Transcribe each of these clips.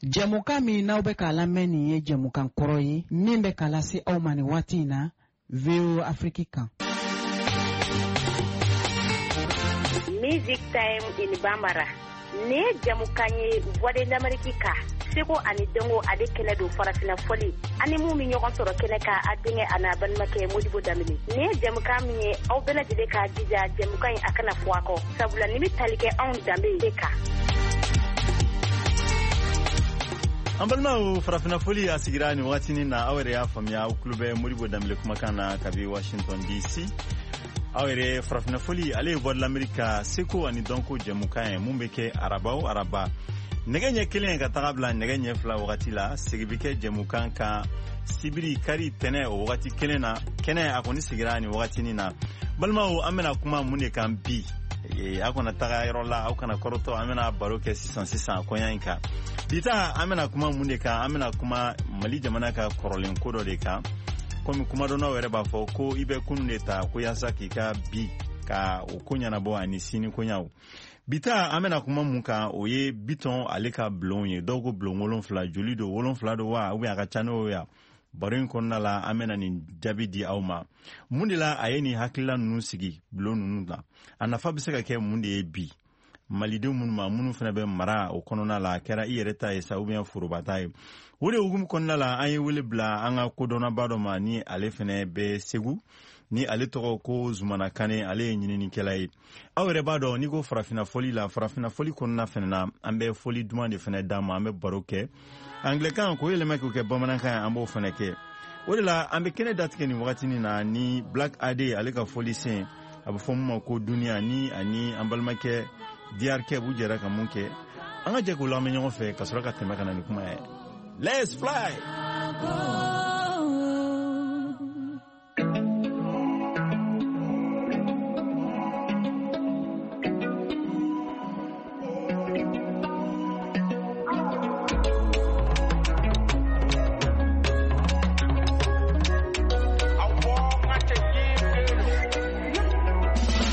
Jɛmukan min n'aw bɛ k'a lamɛn nin ye jɛmukan kɔrɔ ye min bɛ k'a lase aw ma nin waati in na VOA Afrique kan. Music Time in Bambara. Nin ye jɛmukan ye Voix de l'Amérique kan seko ani dɔnko ale kɛnɛ don farafina fɔli ani mun bɛ ɲɔgɔn sɔrɔ kɛnɛ kan a denkɛ a n'a balimakɛ Modibo Danbele nin ye jɛmukan min ye aw bɛɛ lajɛlen k'a jija jɛmukan in a kana fɔ a kɔ sabula nin bɛ tali kɛ anw danbe de kan. An balimaw, farafina foli a sigira nin wagatinin na. Aw yɛrɛ y'a faamuya, aw tulo bɛ Modibo Danbele kumakan na kabi Washington DC. Aw yɛrɛ, farafina foli ale ye Voix de l'Amérique ka seko ani dɔnko jɛmukan ye mun bɛ kɛ araba o araba nɛgɛ ɲɛ 1 ka taga bila nɛgɛ ɲɛ 2 wagati la. Segi bɛ kɛ jɛmukan kan sibiri, kari, tɛnɛ o wagati kelen na. Kɛnɛ a kɔni sigira nin wagatinin na. Balimaw, an bɛna kuma mun de kan bi? Aw kana taga yɔrɔ la, aw kana kɔrɔtɔ, an bɛna baro kɛ sisan sisan kɔɲa in kan. Bi ta, an bɛna kuma mun de kan? An bɛna kuma Mali jamana ka kɔrɔlen ko dɔ de kan. Komi kumadɔnnaw yɛrɛ b'a fɔ ko i bɛ kunun de ta ko yaasa k'i ka bi ka o ko ɲɛnabɔ ani sini koɲaw. Bi ta, an bɛna kuma mun kan, o ye Bitɔn ale ka bulon ye. Dɔw ko bulon 7, joli don, 7 don wa, ou bien a ka ca n'o ye? Baro in kɔnɔna la, an bɛna nin jaabi di aw ma. Mun de la a ye nin hakilila ninnu sigi bulon ninnu na? A nafa bɛ se ka kɛ mun de ye bi malidenw minnu ma, minnu fana bɛ mara o kɔnɔna la, a kɛra i yɛrɛ ta ye sa ou bien foroba ta ye? O de hukumu kɔnɔna la, an ye wele bila an ka kodɔnnaba dɔ ma ni ale fana bɛ Segu, ni ale tɔgɔ ko Zumana Kane. Ale ye ɲininikɛla ye. Aw yɛrɛ b'a dɔn, n'i ko farafina fɔli la, farafina fɔli kɔnɔna fana na, an bɛ fɔli duman de fana d'a ma. An bɛ baro kɛ angilɛkan k'o yɛlɛma k'o kɛ bamanankan ye, an b'o fana kɛ. O de la an bɛ kɛnɛ datigɛ nin wagatinin na ni Black AD ale ka fɔli sen, a bɛ fɔ mun ma ko Duniya, ni ani an balimakɛ DRK b'u jɛra ka mun kɛ. An ka jɛ k'o lamɛn ɲɔgɔn fɛ ka sɔrɔ ka tɛmɛ ka na ni kuma ye. Let's fly!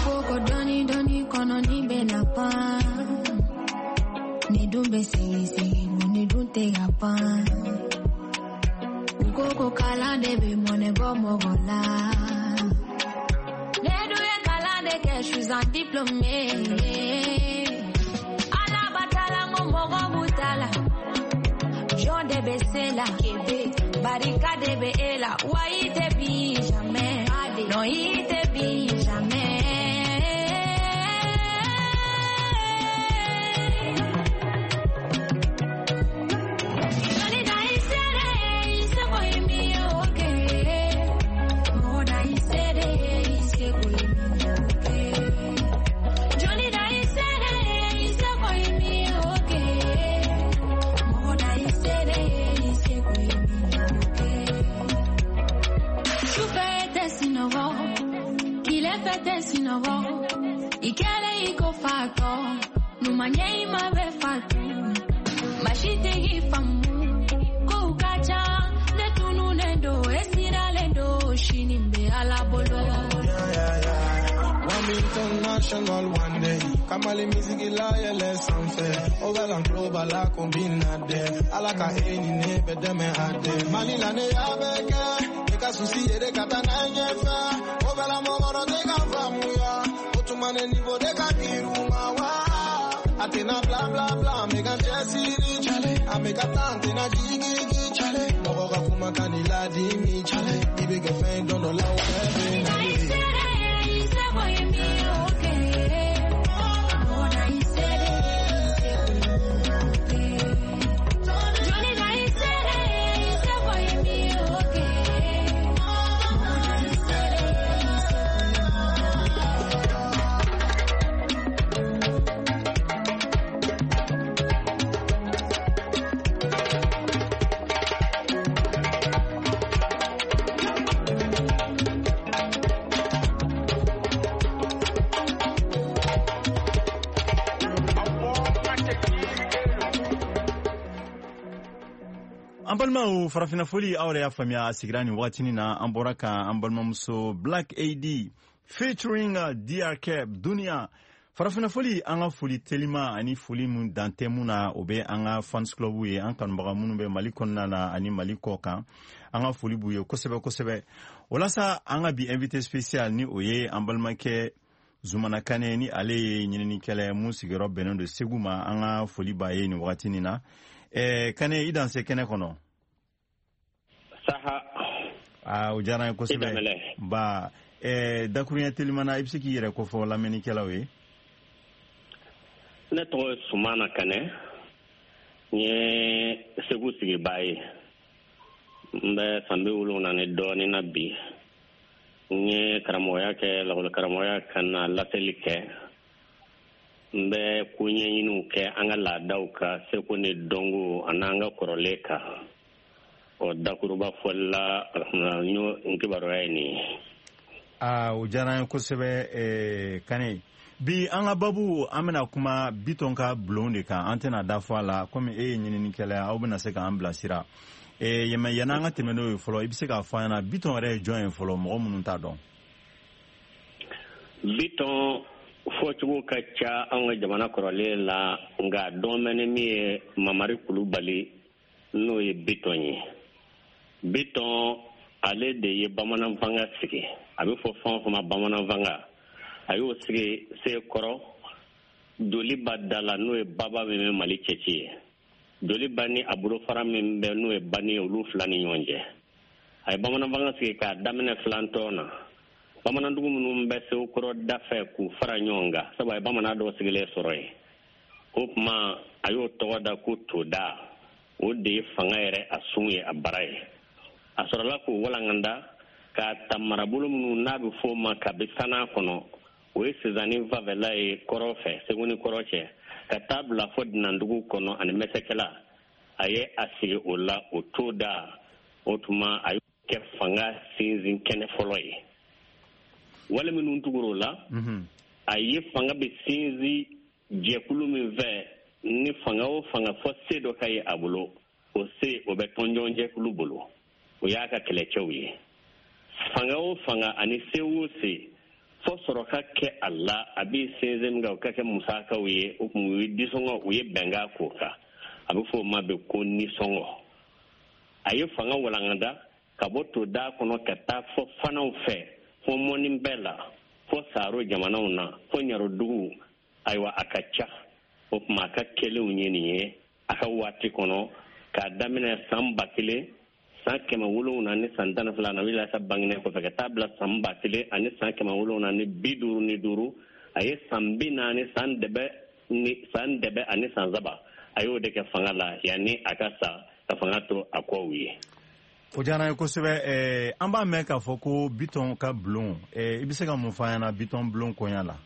Koko dɔɔni dɔɔni kɔnɔ ni bɛna pan, ni dun bɛ segin segin, ni dun tɛ ka pan. U ko ko kalan de bɛ mɔnɛ bɔ mɔgɔ la. Ne dun ye kalan de kɛ, je suis un diplômé. Ala batala n ko mɔgɔ b'u ta la. Jɔn de bɛ se la, kebe barika de bɛ e la, wa i tɛ bin jamais, non i tɛ bin jamais. Jɔnni da i sere, i seko ye min ye o kɛ. Mɔgɔ da i sere, i seko ye min ye o kɛ. Jɔnni da i sere, i seko ye min ye o kɛ. Mɔgɔ da i sere, i seko ye min ye o kɛ. Sufɛ tɛ sunɔgɔ, tile fɛ tɛ sunɔgɔ. I kɛlen i ko fatɔ, ɲuman ɲɛ i ma bɛ fatu. Maa si tɛ k'i faamu, kow ka ca, ne tununnen don, e siralen don, sini bɛ Ala bolo. One international one day. Kamali music la yɛlɛ sanfɛ. O bɛ lan global la combine de. Ala ka e ni ne bɛ dɛmɛ a de. Mali la ne y'a bɛɛ kɛ. Ne ka souci ye de ka taa n'a ye ɲɛfɛ. O bɛ la mɔgɔ dɔ tɛ ka faamuya. O tuma ne niveau de ka girin u ma wa. A tɛna bla bla bla, an bɛ ka cɛsiri cale. An bɛ ka taa, an tɛna jigiji cale. Mɔgɔ ka kuma ka n'i ladimi cale. I bɛ kɛ fɛn dɔn dɔ la, o bɛɛ bɛ na Da i ye. sere, i seko ye min ye o kɛ. Mɔgɔ da i sere, i seko ye min ye o kɛ. Jɔnni da i sere, i seko ye min ye o kɛ. Mɔgɔ da i sere, i seko ye min ye o kɛ. An balimaw, farafina foli, aw yɛrɛ y'a faamuya, a sigira nin wagatinin na. An bɔra ka an balimamuso Black AD featuring DRK, Dunia. Farafinna foli, an ka foli telima ani foli mun dan tɛ mun na, o bɛ an ka fans club ye, an kanubaga minnu bɛ Mali kɔnɔna na ani Mali kɔ kan, an ka foli b'u ye kosɛbɛ kosɛbɛ. O la sa, an ka bi invité spécial ni o ye an balimakɛ Zumana Kane, ni ale ye ɲininikɛla ye mun sigiyɔrɔ bɛnnen don Segu ma. An ka foli b'a ye nin wagati nin na. Kane, i danse kɛnɛ kɔnɔ. Saha. Aa, o diyara n ye kosɛbɛ. Ba dakuruɲɛ telimana, i bɛ se k'i yɛrɛ kofɔ lamɛnnikɛlaw ye? Ne tɔgɔ ye Sumana Kanɛ, n ye Segu sigibaa ye, n bɛ san 70 ni dɔɔnin na bi. N ye karamɔgɔya kɛ, lakɔli karamɔgɔya, ka na laseli kɛ. N bɛ ko ɲɛɲiniw kɛ an ka laadaw ka seko ni dɔnko ani an ka kɔrɔlen kan. Ɔ, dakuruba fɔli la, alhamdulilah, n y'o n kibaruya ye nin ye. Aa, o diyara n ye kosɛbɛ, Kane. Bi an ka babu, an bɛna kuma Bitɔn ka bulon de kan. An tɛna da fɔ a la, komi e ye ɲininikɛla ye, aw bɛna se k'an bilasira. Yɛmɛ yanni an ka tɛmɛ n'o ye fɔlɔ, i bɛ se k'a fɔ an ɲɛna Bitɔn yɛrɛ ye jɔn ye fɔlɔ, mɔgɔ minnu t'a dɔn? Bitɔn fɔcogo ka ca an ka jamana kɔrɔlen la, nka dɔn bɛ ni min ye, Mamari Kulubali, n'o ye Bitɔn ye. Bitɔn, ale de ye bamanan fanga sigi. A bɛ fɔ fɛn o fɛn ma bamanan fanga, a y'o sigi Sekɔrɔ Joliba da la, n'o ye baba min bɛ Mali cɛci ye. Joliba ni a bolofara min bɛ, n'o ye Bani ye, olu fila ni ɲɔgɔn cɛ. A ye bamanan fanga sigi k'a daminɛ filantɔn na, bamanandugu minnu bɛ Sekɔrɔ da fɛ, k'u fara ɲɔgɔn kan, sabu a ye bamanan dɔw sigilen sɔrɔ yen. O tuma a y'o tɔgɔ da ko Toda. O de ye fanga yɛrɛ a sun ye, a bara ye. A sɔrɔla k'o walankanda k'a ta marabolo minnu n'a bɛ fɔ o ma kabi san'a kɔnɔ, o ye Sezani fanfɛla ye kɔrɔ fɛ, Segu ni kɔrɔ cɛ, ka taa bila fɔ Dinandugu kɔnɔ ani Mɛsɛkɛla. A ye a sigi o la, o Toda. O tuma a y'o kɛ fanga sinsin kɛnɛ fɔlɔ ye. Wale minnu tugura o la, a ye fanga bɛ sinsin jɛkulu min fɛ, ni fanga o fanga fɔ se dɔ ka ye a bolo, o se o bɛ tɔnjɔn jɛkulu bolo, o y'a ka kɛlɛcɛw ye. Fanga o fanga ani se o se, fɔ sɔrɔ ka kɛ a la, a bɛ sinsin min kan, o ka kɛ musakaw ye. O tuma u ye disɔngɔ, u ye bɛnkan k'o kan, a bɛ fɔ o ma bɛ ko nisɔngɔ. A ye fanga walankata ka bɔ Toda kɔnɔ ka taa fɔ fanaw fɛ, fɔ mɔni bɛɛ la, fɔ Saro jamanaw na, fɔ Ɲarodugu. Ayiwa, a ka ca. O tuma a ka kɛlenw ye nin ye a ka waati kɔnɔ, k'a daminɛ san 1712 na wuli sa bangenen kɔfɛ, ka taa bila san 1755. A ye san 40, san dɛbɛ ni san dɛbɛ ani san saba, a y'o de kɛ fanga la yanni a ka sa ka fanga to a kɔw ye. O diyara n ye kosɛbɛ. An b'a mɛn k'a fɔ ko Bitɔn ka bulon. I bɛ se ka mun fɔ an ɲɛna Bitɔn bulon koɲa la?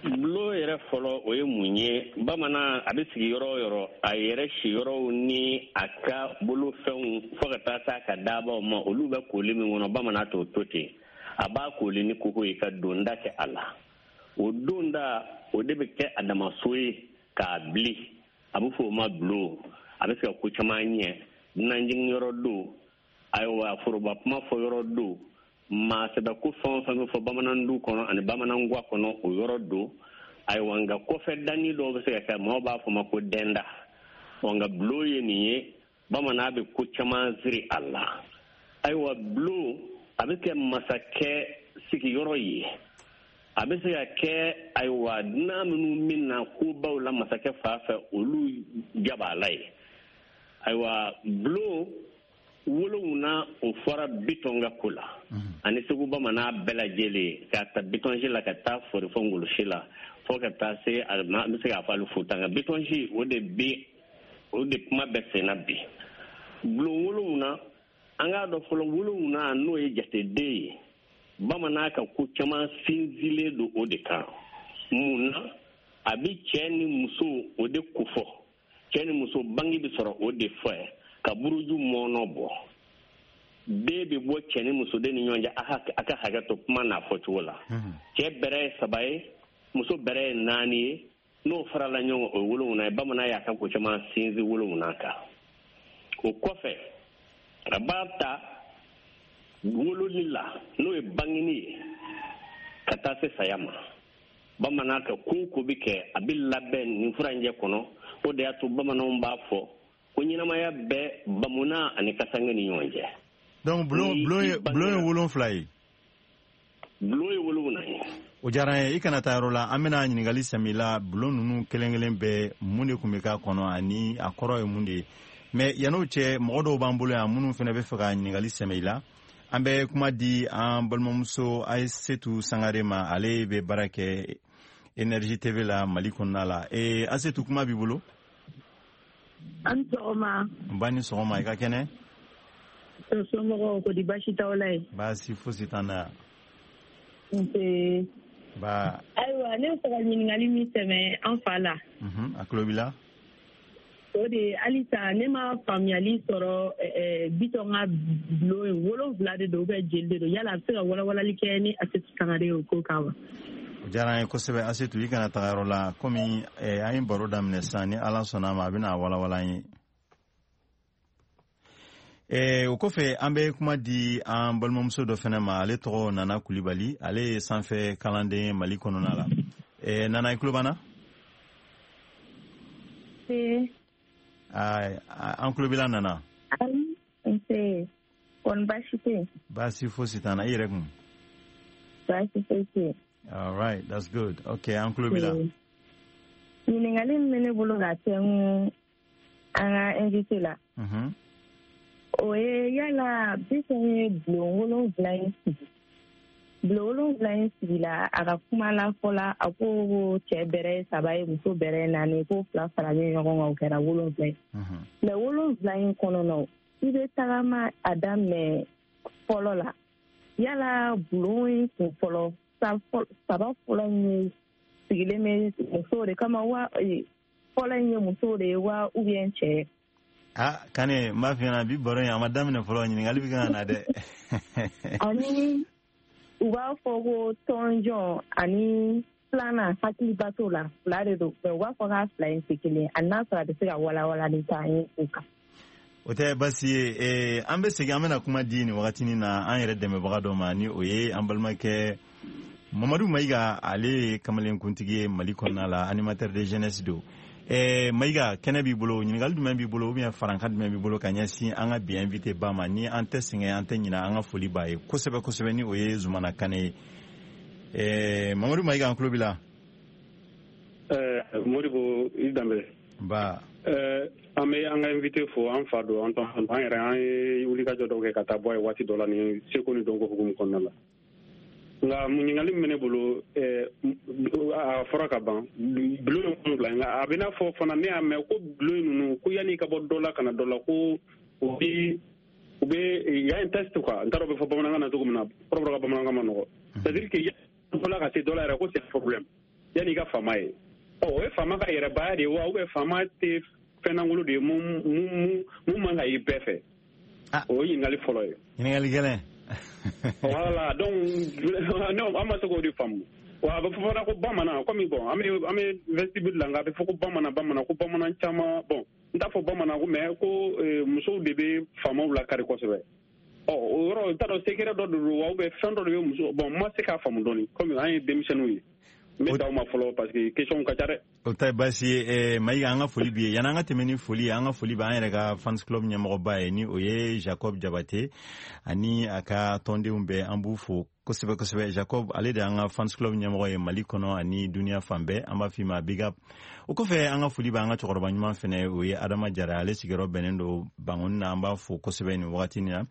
Bulon yɛrɛ fɔlɔ, o ye mun ye? Bamanan a bɛ sigi yɔrɔ o yɔrɔ, a yɛrɛ siyɔrɔw ni a ka bolofɛnw, fo ka taa se a ka dabaw ma, olu bɛ koli min kɔnɔ, bamanan t'o to ten. A b'a koli ni koko ye ka donda kɛ a la. O donda, o de bɛ kɛ a damaso ye k'a bili. A bɛ fɔ o ma bulon. A bɛ se ka ko caman ɲɛ. Dunanjiginyɔrɔ don, ayiwa, foroba kuma fɔ yɔrɔ don, maa sɛbɛ ko fɛn o fɛn bɛ fɔ bamanan du kɔnɔ ani bamanan guwa kɔnɔ, o yɔrɔ don. Ayiwa, nka kɔfɛ danni dɔw bɛ se ka kɛ, maaw b'a fɔ ma ko dɛnda. Ɔ, nka bulon ye nin ye, bamanan bɛ ko caman siri a la. Ayiwa, bulon a bɛ kɛ masakɛ sigiyɔrɔ ye, a bɛ se ka kɛ, ayiwa, dunan minnu bɛ na kobaw la masakɛ fan fɛ, olu jabaala ye. Ayiwa, bulon 7, o fɔra Bitɔn ka ko la ani Segu bamanan bɛɛ lajɛlen, k'a ta Bitɔnsi la ka taa fori fɔ Ngolosi la, fo ka taa se, an bɛ se k'a fɔ hali Futa. Nka Bitɔnsi, o de bi, o de kuma bɛ sen na bi. Bulon 7, an k'a dɔn fɔlɔ, 7 n'o ye jateden ye, bamanan ka ko caman sinsinlen don o de kan. Mun na? A bɛ cɛ ni muso o de kofɔ. Cɛ ni muso bange bɛ sɔrɔ o de fɛ, ka buruju mɔnɔ bɔ, den bɛ bɔ cɛ ni musoden ni ɲɔgɔn cɛ. A ka hakɛ to kuma n'a fɔcogo la. Cɛ bɛrɛ ye saba ye, muso bɛrɛ ye naani ye. N'o farala ɲɔgɔn kan, o ye 7 ye. Bamanan y'a ka ko caman sinsin 7 kan. O kɔfɛ, a b'a ta wololi la, n'o ye bangeni ye, ka taa se saya ma. Bamanan ka ko ko bɛ kɛ, a bɛ labɛn nin furancɛ kɔnɔ. O de y'a to bamananw b'a fɔ ko ɲɛnamaya bɛ bamuna ani kasange ni ɲɔgɔn cɛ. Donc bulon ye 7 ye. Bulon ye 7 ye. O diyara n ye. I kana taa yɔrɔ la, an bɛna ɲininkali sɛmɛ la bulon ninnu kelen kelen bɛɛ, mun de tun bɛ k'a kɔnɔ ani a kɔrɔ ye mun de ye. Mais yann'o cɛ, mɔgɔ dɔw b'an bolo yan minnu fana bɛ fɛ ka ɲininkali sɛmɛ i la. An bɛ kuma di an balimamuso Ayisetu Sangare ma, ale bɛ baara kɛ Énergie TV la Mali kɔnɔna la. Asetu, kuma b'i bolo. An sɔgɔma. N ba, ni sɔgɔma, i ka kɛnɛ? Somɔgɔw ko di, baasi t'aw la yen? Baasi fosi t'an na yan. Nse. Ba. Ayiwa, ne bɛ fɛ ka ɲininkali min sɛmɛ an fa la. A tulo b'i la. O de ye, halisa ne ma faamuyali sɔrɔ, Bitɔn ka bulon ye 7 de don ou bien jeli de don? Yala a bɛ se ka walawalali kɛ ni Asetu Sangare ye o ko kan wa? O diyara an ye kosɛbɛ. Asetu, i kana taga yɔrɔ la, komi an ye baro daminɛ sisan, ni Ala sɔnna a ma, a bɛna walawala an ye. O kɔfɛ, an bɛ kuma di an balimamuso dɔ fɛnɛ ma, ale tɔgɔ Nana Kulibali, ale ye sanfɛ kalanden ye Mali kɔnɔna la. Nana, i tulo b'an na? An tulo b'i la, Nana. Nse, kɔni baasi tɛ yen? Baasi fosi t'an na, i yɛrɛ kun? Baasi foyi tɛ yen. All right, that's good. Okay, an tulo b'i la. Ɲininkali min bɛ ne bolo ka tɛnku an ka invité la, o ye, yala Bitɔn ye bulon 7 in sigi, bulon 7 in sigila, a ka kuma la fɔla, a ko cɛ bɛrɛ ye 3 ye, muso bɛrɛ ye 4, ko 2 faralen ɲɔgɔn kan, o kɛra 7 ye. Mais 7 in kɔnɔna, i bɛ tagama a daminɛ fɔlɔ la, yala bulon in kun fɔlɔ 3 fɔlɔ in ye sigilen bɛ musow de kama wa, fɔlɔ in ye musow de ye wa, ou bien cɛ? Ah, Kane, n b'a f'i ɲɛna, bi baro in a ma daminɛ fɔlɔ, ɲininkali bɛ kan ka na dɛ. Ani u b'a fɔ ko tɔnjɔn ani filanan, hakiliba t'o la, 2 de don, mais u b'a fɔ k'a 2 in tɛ kelen ye. A n'a sɔrɔ a bɛ se ka walawalali k'an ye o kan. O tɛ baasi ye. An bɛ segin, an bɛna kuma di nin wagatinin na an yɛrɛ dɛmɛbaga dɔ ma, ni o ye an balimakɛ Mamadu Mayiga, ale ye kamalenkuntigi ye Mali kɔnɔna la, animateur de jeunesse don. Mayiga, kɛnɛ b'i bolo. Ɲininkali jumɛn b'i bolo ou bien farankan jumɛn b'i bolo ka ɲɛsin an ka bi invité ba ma, ni an tɛ sɛgɛn, an tɛ ɲinɛ, an ka foli b'a ye kosɛbɛ kosɛbɛ, ni o ye Zumana Kane ye? Mamadu Mayiga, an tulo b'i la. Modibo, i Danbele. Ba. An bɛ an ka invité fo, an fa don, an tɔn, an yɛrɛ, an ye wulikajɔ dɔw kɛ ka taa bɔ a ye waati dɔ la ni seko ni dɔnko hukumu kɔnɔna la. Nka ɲininkali min bɛ ne bolo, a fɔra ka ban, bulon ye 7, nka a bɛ n'a fɔ fana, ne y'a mɛn ko bulon ninnu, ko yanni i ka bɔ dɔ la ka na dɔ la, ko o bɛ u bɛ y a un test quoi. N t'a dɔn o bɛ fɔ bamanankan na cogo min na, kɔrɔbɔrɔ ka bamanankan ma nɔgɔ. C'est à dire que dɔ la ka se dɔ la yɛrɛ, ko c'est un problème yanni i ka faama ye. Ɔ, o ye faama ka yɛrɛbaya de ye wa, ou bien faama tɛ fɛn lankolon de ye mun man ka ye bɛɛ fɛ? O ye ɲininkali fɔlɔ ye. Ɲininkali gɛlɛn. Voilà, donc non, an ma se k'o de faamu wa. A bɛ fɔ fana ko bamanan, komi bon, an bɛ vestibule la, nka a bɛ fɔ ko bamanan, bamanan, ko bamanan caman, bon, n t'a fɔ bamanan ko, mais ko musow de bɛ faamaw lakari kosɛbɛ. Ɔ, o yɔrɔ, n t'a dɔn secret dɔ de don wa, ou bien fɛn dɔ de bɛ muso, bon, n ma se k'a faamu dɔɔni, komi an ye denmisɛnninw ye. N bɛ d'aw ma fɔlɔ parce que question ka ca dɛ. O ta ye baasi ye. Mayiga, an ka foli b'i ye. Yanni an ka tɛmɛ ni foli ye, an ka foli bɛ an yɛrɛ ka fans club ɲɛmɔgɔba ye, ni o ye Jacob Jabate ani a ka tɔndenw bɛɛ, an b'u fo kosɛbɛ kosɛbɛ. Jacob, ale de y'an ka fans club ɲɛmɔgɔ ye Mali kɔnɔ ani duniya fan bɛɛ, an b'a f'i ma big up. O kɔfɛ, an ka foli bɛ an ka cɛkɔrɔba ɲuman fɛnɛ, o ye Adama Jara, ale sigiyɔrɔ bɛnnen don Bangoni na, an b'a fo kosɛbɛ nin wagatinin na.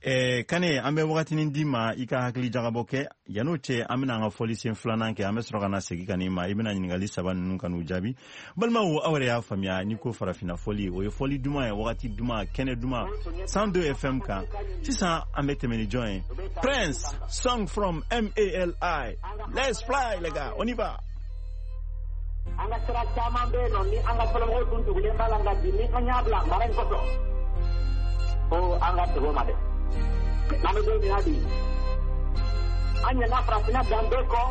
Kane, an bɛ wagatinin d'i ma i ka hakili jagabɔ kɛ. Yan'o cɛ, an bɛna an ka fɔlisen filanan kɛ, an bɛ sɔrɔ ka na segin ka n'i ma, i bɛna ɲininkali saba ninnu ka n'u jaabi. Balimaw, aw yɛrɛ y'a faamuya, n'i ko farafinna fɔli, o ye fɔli duman ye, wagati duman, kɛnɛ duman, 102 FM kan. Sisan an bɛ tɛmɛ ni jɔn ye? Prince, song from MALI. Let's fly, les gars, on y va. An ka sira caman bɛ yen nɔ ni an ka fɔlɔmɔgɔw tun tugulen b'a la, nka bi ni an y'a bila mara in kɔsɔn, ko an ka segin o ma dɛ. N'an bɛ don min na bi, an ɲinɛna farafinna danbe kɔ,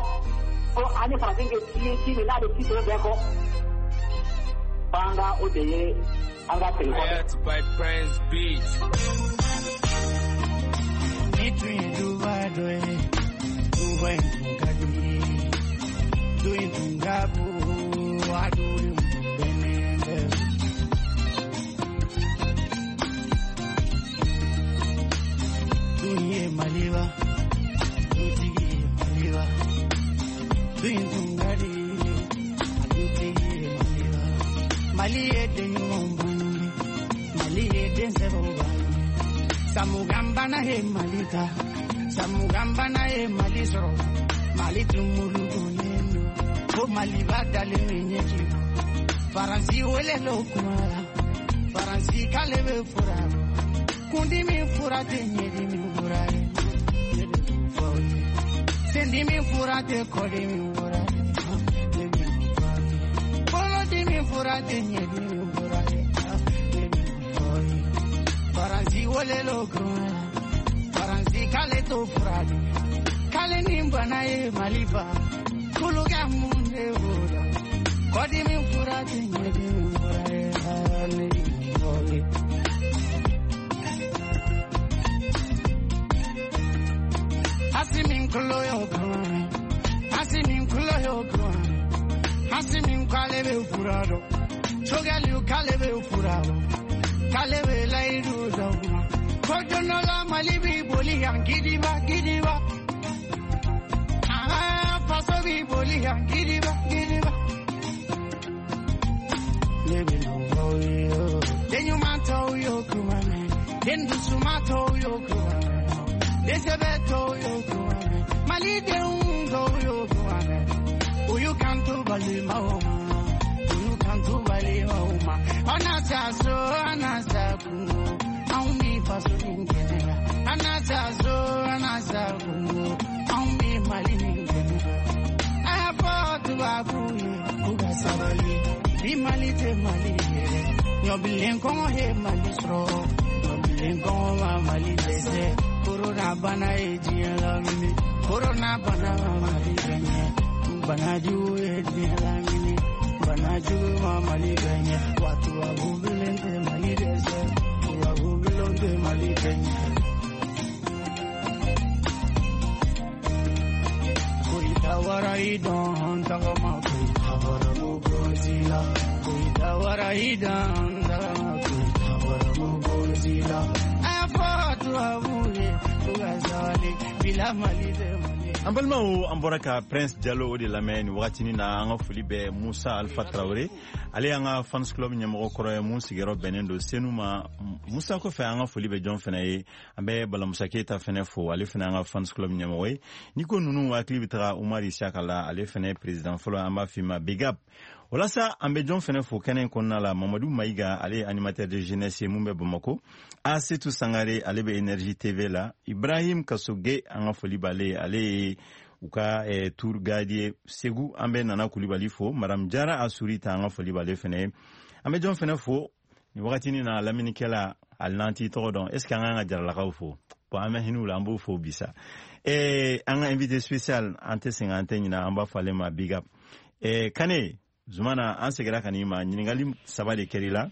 ko an ni farafin kɛ ci ye ci min n'a bɛ ci tɔw bɛɛ kɔ, f'an ka o de ye an ka segin kɔ. By Prince Beat. Ni tun ye duba dɔ ye, duba in tun ka di. Duintungabu aduri benende. Duinye maliba, dutigi maliba. Duintungari, dutigi maliba. Maliye denyumbangi, maliye densebobangi. Samugambana he malita, samugambana he malisro. Mali tumulugonendo, ko maliba dale menyeji. Faransi wele lokumala, Faransi kalebe furabo. Kundi mi furate nyedi mi furare, sendi mi furate kodi mi furare, bolo di mi furate nyedi mi furare. Faransi wele lokumala, Faransi kale to furate. Kale nimbana ye maliba, kuluga munde voda. Kodi mi furate nyedi mi furare, ne mi. Asimin kulo yo kuma, asimin kulo yo kuma, asimin kale be furado, chogali kale be furado, kale be laidu dogma. Kojono la malibi boli yang gidiba gidiba. Ah, faso bi boli yang gidiba gidiba. Lebe no voyo, denyu manto yo kuma, dendu sumato yo kuma. Desebeto yo kuame, malide ungo yo kuame. Uyu kanto balima oma, uyu kanto balima oma. Anasa so, anasa kungo, aumi faso ningenera. Anasa so, anasa kungo, aumi mali ningenera. Apo tu abuye, kuga sabali, bi mali te mali yere. Nyobilen kongo he mali sro, nyobilen kongo ma mali dese. Corona bana e diɲɛ lamini, corona bana ma Mali gɛɲɛ, bana jugu ye diɲɛ lamini, bana jugu ma Mali gɛɲɛ, wa tubabu bilen tɛ Mali dɛsɛ, tubabu bilen tɛ Mali gɛɲɛ. Koyita wara i dɔn tagama, koyita wara mugozi la, koyita wara i dɔn tagama, koyita wara mugozi la. An balimaw, an bɔra ka Prince Jalo o de lamɛn nin wagatinin na. An ka foli bɛ Musa Alpha Traoré, ale y'an ka fans club ɲɛmɔgɔ kɔrɔ ye mun sigiyɔrɔ bɛnnen don Senu ma. Musa kɔfɛ, an ka foli bɛ jɔn fana ye? An bɛ Balamusa Keyita fana fo, ale fana an ka fans club ɲɛmɔgɔ ye. N'i ko ninnu, hakili bɛ taga Umar Isaka la, ale fana ye président fɔlɔ, an b'a f'i ma big up. Walasa an bɛ jɔn fana fo kɛnɛ in kɔnɔna la? Mamadu Mayiga, ale ye animateur de jeunesse ye mun bɛ Bamako. Asetu Sangare, ale bɛ Énergie TV la. Ibrahim Kasoge, an ka foli b'ale ye, ale ye u ka tour guide ye Segu. An bɛ Nana Kulibali fo, Madame Jara Asurita, an ka foli b'ale fana ye. An bɛ jɔn fana fo nin wagatinin na? Laminikɛla, hali n'an t'i tɔgɔ dɔn, est ce que an kan ka Jaralakaw fo? Bon, an bɛ hinɛ u la, an b'o fo bi sa. An ka invité spécial, an tɛ sɛgɛn, an tɛ ɲinɛ, an b'a fɔ ale ma big up. Kane Zumana, an seginna ka n'i ma. Ɲininkali saba de kɛr'i la.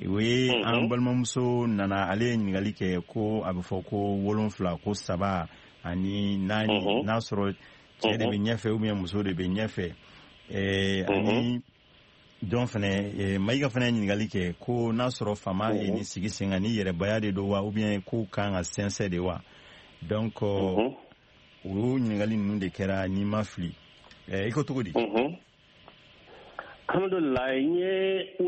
O ye an balimamuso nana, ale ye ɲininkali kɛ ko a bɛ fɔ ko 7, ko 3 ani 4, n'a sɔrɔ cɛ de bɛ ɲɛfɛ ou bien muso de bɛ ɲɛfɛ. Ani jɔn fɛnɛ, Mayiga fɛnɛ ye ɲininkali kɛ ko n'a sɔrɔ faama ye nin sigi sen kan, ni yɛrɛbaya de don wa, ou bien ko kan ka sɛnsɛn de wa. Donc o ɲininkali ninnu de kɛra, n'i ma fili. I ko cogo di? Alhamdulilayi, n ye 7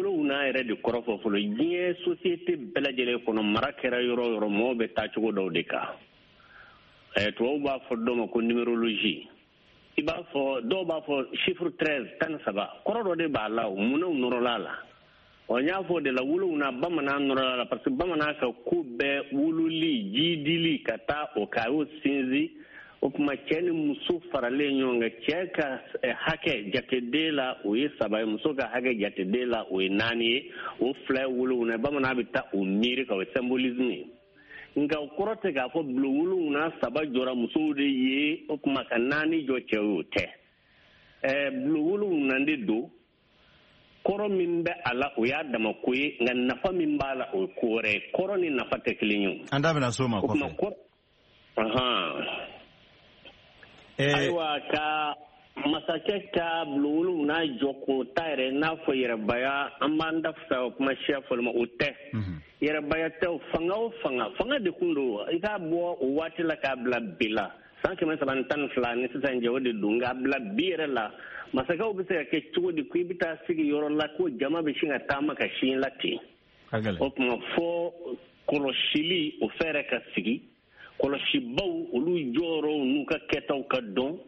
yɛrɛ de kɔrɔ fɔ fɔlɔ. Diɲɛ société bɛɛ lajɛlen kɔnɔ, mara kɛra yɔrɔ o yɔrɔ, mɔgɔw bɛ taa cogo dɔw de kan. Tubabuw b'a fɔ dɔ ma ko numérologie. I b'a fɔ dɔw b'a fɔ chiffre 13, 13, kɔrɔ dɔ de b'a la, o munnaw nɔrɔla la. Ɔ, n y'a fɔ o de la, 7 bamanan nɔrɔla la, parce que bamanan ka ko bɛɛ wululi, jidili ka taa o kan, a y'o sinsin. O tuma cɛ ni muso faralen ɲɔgɔn kan, cɛ ka hakɛ jateden la o ye 3 ye, muso ka hakɛ jateden la o ye 4 ye, o 2 ye 7. Bamanan bɛ taa o miiri ka o symbolisme ye. Nka o kɔrɔ tɛ k'a fɔ bulon 7 3 jɔra musow de ye, o tuma ka 4 jɔ cɛw ye, o tɛ. Bulon 7 de don, kɔrɔ min bɛ a la o y'a dama ko ye, nka nafa min b'a la o ye ko wɛrɛ ye. Kɔrɔ ni nafa tɛ kelen ye o. An da bɛna s'o ma kɔfɛ. Ayiwa, ka Masakɛ ka bulon wolonwula jɔ k'o ta yɛrɛ n'a fɔ yɛrɛbaya, an b'an da fisaya o kuma siya fɔli ma, o tɛ. Yɛrɛbaya tɛ o, fanga o fanga de kun don. I k'a bɔ o waati la k'a bila bi la, san 312 ni sisan cɛ, o de don. Nka a bila bi yɛrɛ la, masakɛw bɛ se ka kɛ cogo di ko i bɛ taa sigi yɔrɔ la ko jama bɛ sin ka taama ka sin la ten? O tuma fɔ kɔlɔsili, o fɛɛrɛ ka sigi, kɔlɔsibaw olu jɔyɔrɔw n'u ka kɛtaw ka dɔn.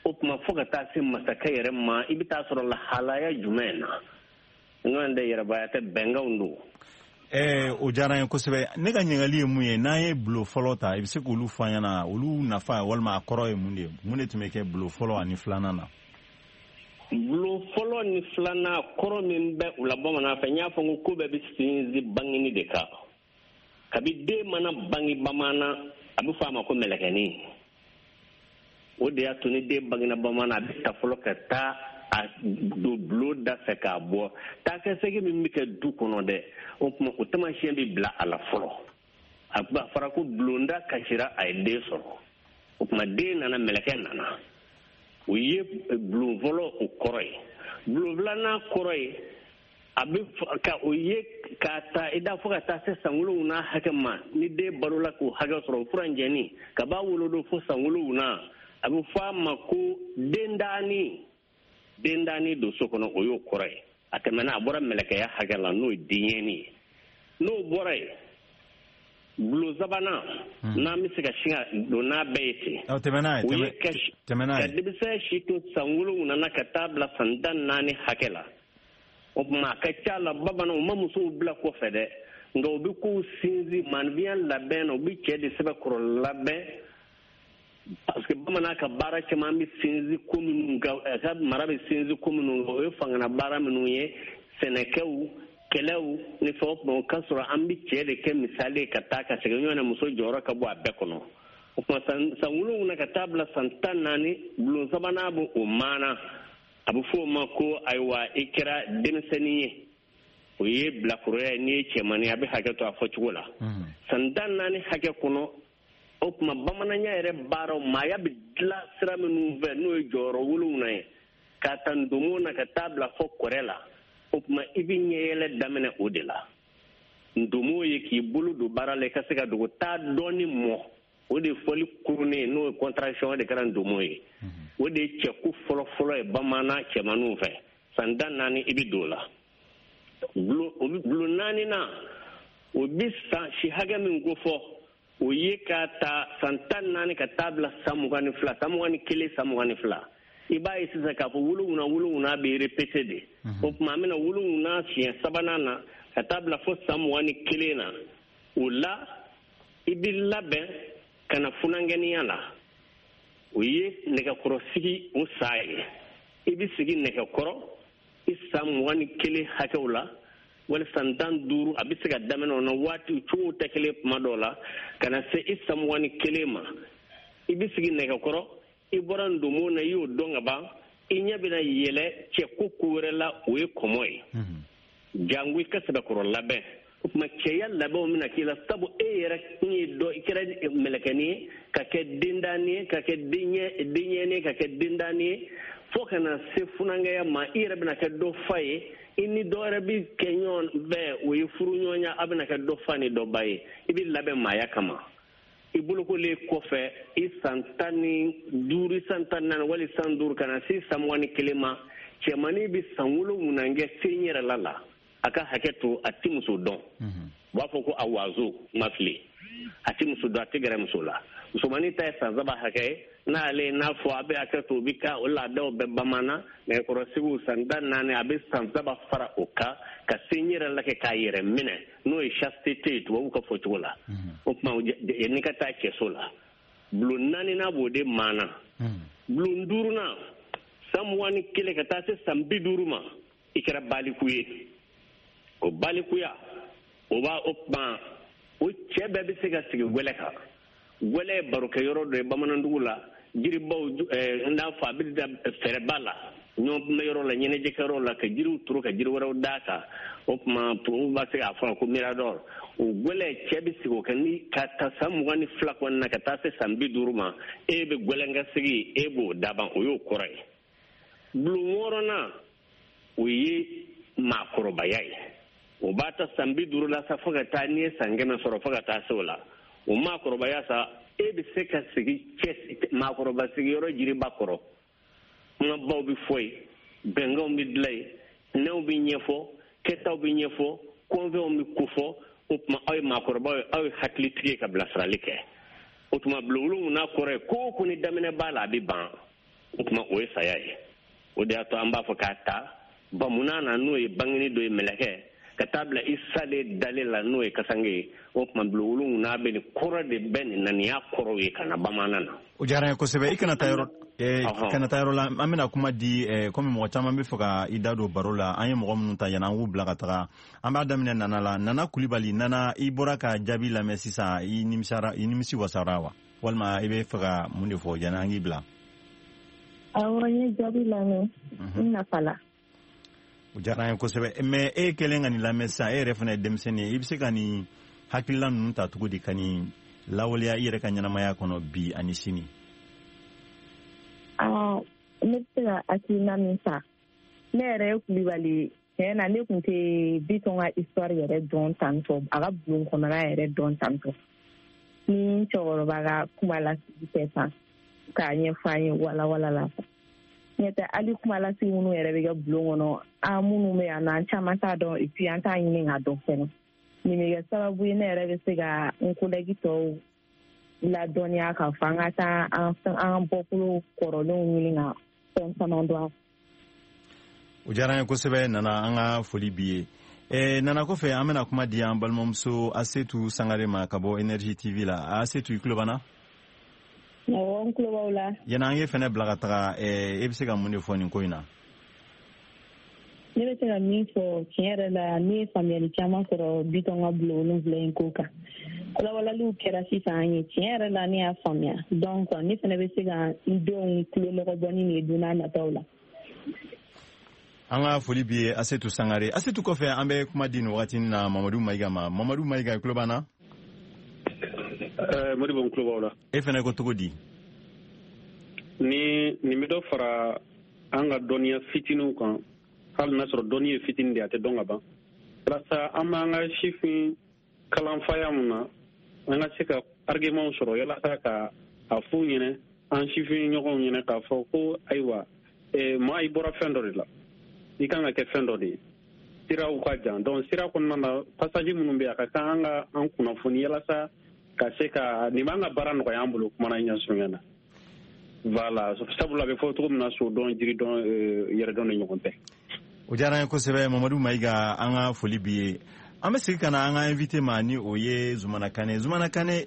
O tuma fo ka taa se masakɛ yɛrɛ ma, i bɛ taa sɔrɔ lahalaya jumɛn na? N'o tɛ yɛrɛbaya tɛ, bɛnkanw don. O diyara n ye kosɛbɛ. Ne ka ɲininkali ye mun ye, n'an ye bulon fɔlɔ ta, i bɛ se k'olu fɔ an ɲɛna, olu nafa walima a kɔrɔ ye mun de ye? Mun de tun bɛ kɛ bulon fɔlɔ ani filanan na? Bulon fɔlɔ ni filanan, kɔrɔ min bɛ u la bamanan fɛ, n y'a fɔ n ko bɛɛ bɛ sinsin bangeni de kan. Kabi den mana bange bamanan, a bɛ fɔ a ma ko mɛlɛkɛnin. O de y'a to ni den bangena bamanan, a bɛ ta fɔlɔ ka taa a don bulon da fɛ k'a bɔ. Taakɛsegin min bɛ kɛ du kɔnɔ dɛ, o tuma o taamasiyɛn bɛ bila a la fɔlɔ. A fɔra ko bulonda kasira, a ye den sɔrɔ. O tuma den nana, mɛlɛkɛ nana. O ye bulon fɔlɔ o kɔrɔ ye. Bulon filanan kɔrɔ ye, a bɛ ka o ye k'a ta i da fo ka taa se san 7 hakɛ ma. Ni den balola k'o hakɛ sɔrɔ, furanjɛni ka b'a wolodon fo san 7, a bɛ fɔ a ma ko dendaani. Dendaani don so kɔnɔ, o y'o kɔrɔ ye. A tɛmɛna, a bɔra mɛlɛkɛya hakɛ la, n'o ye denyɛni ye. N'o bɔra yen, bulon sabanan, n'an bɛ se ka sin ka don n'a bɛɛ ye ten, o ye ka denmisɛn si to san 7 na ka taa bila san 14 hakɛ la. O tuma a ka ca la, bamananw ma musow bila kɔfɛ dɛ, nka u bɛ kow sinsin maanifinya labɛn na, u bɛ cɛ de sɛbɛkɔrɔ labɛn. Parce que bamanan ka baara caman bɛ sinsin ko minnu kan, a ka mara bɛ sinsin ko minnu kan, o ye fangana baara minnu ye, sɛnɛkɛw, kɛlɛw ni fɛn o fɛn. O ka sɔrɔ an bɛ cɛ de kɛ misali ye ka taa ka segin ɲɔgɔn na, muso jɔyɔrɔ ka bɔ a bɛɛ kɔnɔ. O tuma san 7 ka taa bila san 14, bulon sabanan bɛ o maana. A bɛ fɔ o ma ko ayiwa, i kɛra denmisɛnnin ye, o ye bilakoroya ye. N'i ye cɛmannin ye, a bɛ hakɛ to a fɔcogo la. San 14 hakɛ kɔnɔ, o tuma bamananya yɛrɛ baaraw, maaya bɛ dilan sira minnu fɛ, n'o ye jɔyɔrɔ 7 ye, k'a ta ndomo na ka taa bila fɔ kɔrɛ la. O tuma i bɛ ɲɛyɛlɛ daminɛ o de la. Ndomo ye k'i bolo don baara la, i ka se ka dogo taa dɔɔni mɔ. O de ye fɔli kurunnen, n'o ye contraction, o de kɛra ndomo ye. O de ye cɛko fɔlɔ-fɔlɔ ye bamanan cɛmanninw fɛ. San 14 i bɛ don o la. Bulon naaninan, o bɛ san si hakɛ min ko fɔ, o ye k'a ta san 14 ka taa bila san 22, san 21, san 22. I b'a ye sisan k'a fɔ 7 7 bɛ répété de. O tuma an bɛna 7 siɲɛ sabanan na ka taa bila fo san 21 na. O la i bɛ labɛn ka na funankɛninya la. O ye nɛgɛkɔrɔsigi o sa ye. I bɛ sigi nɛgɛkɔrɔ i san 21 hakɛw la, wali san 15, a bɛ se ka daminɛ o na, waati cogow tɛ kelen kuma dɔw la, ka na se i san 21 ma. I bɛ sigi nɛgɛkɔrɔ, i bɔra ndomo na, i y'o dɔn ka ban, i ɲɛ bɛna yɛlɛ cɛ ko ko wɛrɛ la, o ye kɔmɔ ye. Jango i ka sɛbɛkɔrɔ labɛn. O tuma cɛya labɛnw bɛna k'i la, sabu e yɛrɛ kun ye dɔ, i kɛra mɛlɛkɛnin ye, ka kɛ dendaani ye, ka kɛ denyɛnin ye, ka kɛ dendaani ye, fo ka na se funankɛya ma, i yɛrɛ bɛna kɛ dɔ fa ye, i ni dɔ wɛrɛ bɛ kɛ ɲɔgɔn fɛ, o ye furu ɲɔgɔnya, a bɛna kɛ dɔ fa ni dɔ ba ye. I bɛ labɛn maaya kama. I bolokolen kɔfɛ, i san 15, san 14 wali san 5 ka na se san 21 ma, cɛmannin bɛ san 7 kɛ sen yɛrɛ la. A ka hakɛ to, a tɛ muso dɔn. U b'a fɔ ko a wazo ma fili. A tɛ muso dɔn, a tɛ gɛrɛ muso la. Musomannin ta ye san 3 hakɛ ye, n'ale n'a fɔ a bɛ hakɛ to, o bɛ ka o laadaw bɛɛ bamanan nɛgɛkɔrɔsigiw san 14, a bɛ san 3 fara o kan ka se n yɛrɛ la kɛ k'a yɛrɛ minɛ, n'o ye chasteté ye tubabuw ka fɔcogo la. O tuma n'i ka taa cɛso la, bulon naaninan b'o de maana. Bulon duurunan, san 21 ka taa se san 50 ma, i kɛra baliku ye. O balikuya, o b'a o tuma o cɛ bɛɛ bɛ se ka sigi gwɛlɛ kan. Gwɛlɛ ye barokɛyɔrɔ dɔ ye bamanandugu la, jiribaw, n n'a fɔ a bɛ da fɛrɛba la, ɲɔgɔn la, ɲɛnajɛkɛyɔrɔ la, ka jiriw turu ka jiri wɛrɛw d'a kan. O tuma tubabuw b'a se k'a fɔ ko mirador. O gwɛlɛ, cɛ bɛ sigi o kan ni ka ta san 22 kɔnɔna na ka taa se san 50 ma, e bɛ gwɛlɛnkasigi, e b'o daban, o y'o kɔrɔ ye. Bulon wɔɔrɔnan, o ye maakɔrɔbaya ye. O b'a ta san 50 la sa fo ka taa n'i ye san 100 sɔrɔ fo ka taa se o la. O maakɔrɔbaya sa, e bɛ se ka sigi cɛ maakɔrɔba sigiyɔrɔ jiriba kɔrɔ. Kumabaw bɛ fɔ yen, bɛnkanw bɛ dilan yen, nɛw bɛ ɲɛfɔ, kɛtaw bɛ ɲɛfɔ, kɔnfɛnw bɛ kofɔ. O tuma aw ye maakɔrɔbaw ye, aw ye hakilitigi ye ka bilasirali kɛ. O tuma bulon wolonwula kɔrɔ ye ko o ko ni daminɛ b'a la, a bɛ ban. O tuma o ye saya ye. O de y'a to an b'a fɔ k'a ta bamunan na, n'o ye bangeni dɔ ye mɛlɛkɛ, ka taa bila i salen dalen la, n'o ye kasange ye. O tuma bulon wolonwula bɛ nin kɔrɔ de bɛ nin na, nin y'a kɔrɔw ye ka na bamanan na. O diyara n ye kosɛbɛ. I kana taa yɔrɔ kana taa yɔrɔ la, an bɛna kuma di komi mɔgɔ caman bɛ fɛ ka i da don baro la. An ye mɔgɔ minnu ta yanni an k'u bila ka taga, an b'a daminɛ Nana la. Nana Kulibali, Nana, i bɔra ka jaabi lamɛn sisan, i nimisara, i nimisi wasara wa, walima i bɛ fɛ ka mun de fɔ yanni an k'i bila? Awɔ, n ye jaabi lamɛn, n nafala. O diyara an ye kosɛbɛ. Mais e kɛlen ka nin lamɛn sisan, e yɛrɛ fana ye denmisɛnnin ye, i bɛ se ka nin hakilila ninnu ta cogo di ka nin lawaleya i yɛrɛ ka ɲɛnamaya kɔnɔ bi ani sini? Ne bɛ se ka hakilina min ta, ne yɛrɛ ye Kulibali ye. Tiɲɛ na, ne tun tɛ Bitɔn ka histoire yɛrɛ dɔn tantɔ, a ka bulon kɔnɔna yɛrɛ dɔn tantɔ. Ni cɛkɔrɔba ka kuma lasigi tɛ tan k'a ɲɛfɔ an ye walawala la. N'o tɛ, hali kuma lasigi minnu yɛrɛ bɛ kɛ bulon kɔnɔ, an minnu bɛ yan nɔ, an caman t'a dɔn, et puis an t'a ɲini k'a dɔn fɛnɛ. Nin bɛ kɛ sababu ye ne yɛrɛ bɛ se ka n collègue tɔw ladɔnniya k'a fɔ an ka taa an bɔkolo kɔrɔlenw ɲini ka fɛn caman dɔn. O diyara an ye kosɛbɛ Nana, an ka foli b'i ye. Nana kɔfɛ, an bɛna kuma di an balimamuso Asetu Sangare ma ka bɔ Énergie TV la. Asetu, i tulo b'an na? Awɔ, n tulo b'aw la. Yanni an k'e fɛnɛ bila ka taga, e bɛ se ka mun de fɔ nin ko in na? Ne bɛ se ka min fɔ, tiɲɛ yɛrɛ la, ne ye faamuyali caman sɔrɔ Bitɔn ka bulon wolonwula in ko kan. Walawalaliw kɛra sisan an ye, tiɲɛ yɛrɛ la, ne y'a faamuya. Donc ne fɛnɛ bɛ se ka n denw tulonɔgɔ bɔ ni nin ye don n'a nataw la. An ka foli b'i ye Asetu Sangare. Asetu kɔfɛ, an bɛ kuma di nin wagati na Mamadu Mayiga ma. Mamadu Mayiga, i tulo b'an na? Modibo, n tulo b'aw la. E fɛnɛ ko cogo di? Ni nin bɛ dɔ fara an ka dɔnniya fitininw kan, hali n'a sɔrɔ dɔnni ye fitinin de ye, a tɛ dɔn ka ban. Walasa an b'an ka sifin kalanfaya mun na, an ka se ka argumentw sɔrɔ yalasa ka a f'u ɲɛnɛ, an sifin ɲɔgɔnw ɲɛnɛ, k'a fɔ ko ayiwa, maa i bɔra fɛn dɔ de la, i kan ka kɛ fɛn dɔ de ye. Siraw ka jan, donc sira kɔnɔna na, passage minnu bɛ yen, a ka kan an ka an kunnafoni yalasa ka se ka nin b'an ka baara nɔgɔya an bolo kuma na ɲɛsurunya na. Voilà, sabula a bɛ fɔ cogo min na, so dɔn, jiri dɔn, yɛrɛ dɔn de ɲɔgɔn tɛ. O diyara an ye kosɛbɛ Mamadu Mayiga, an ka foli b'i ye. An bɛ segin ka na an ka invité ma, ni o ye Zumana Kane. Zumana Kane,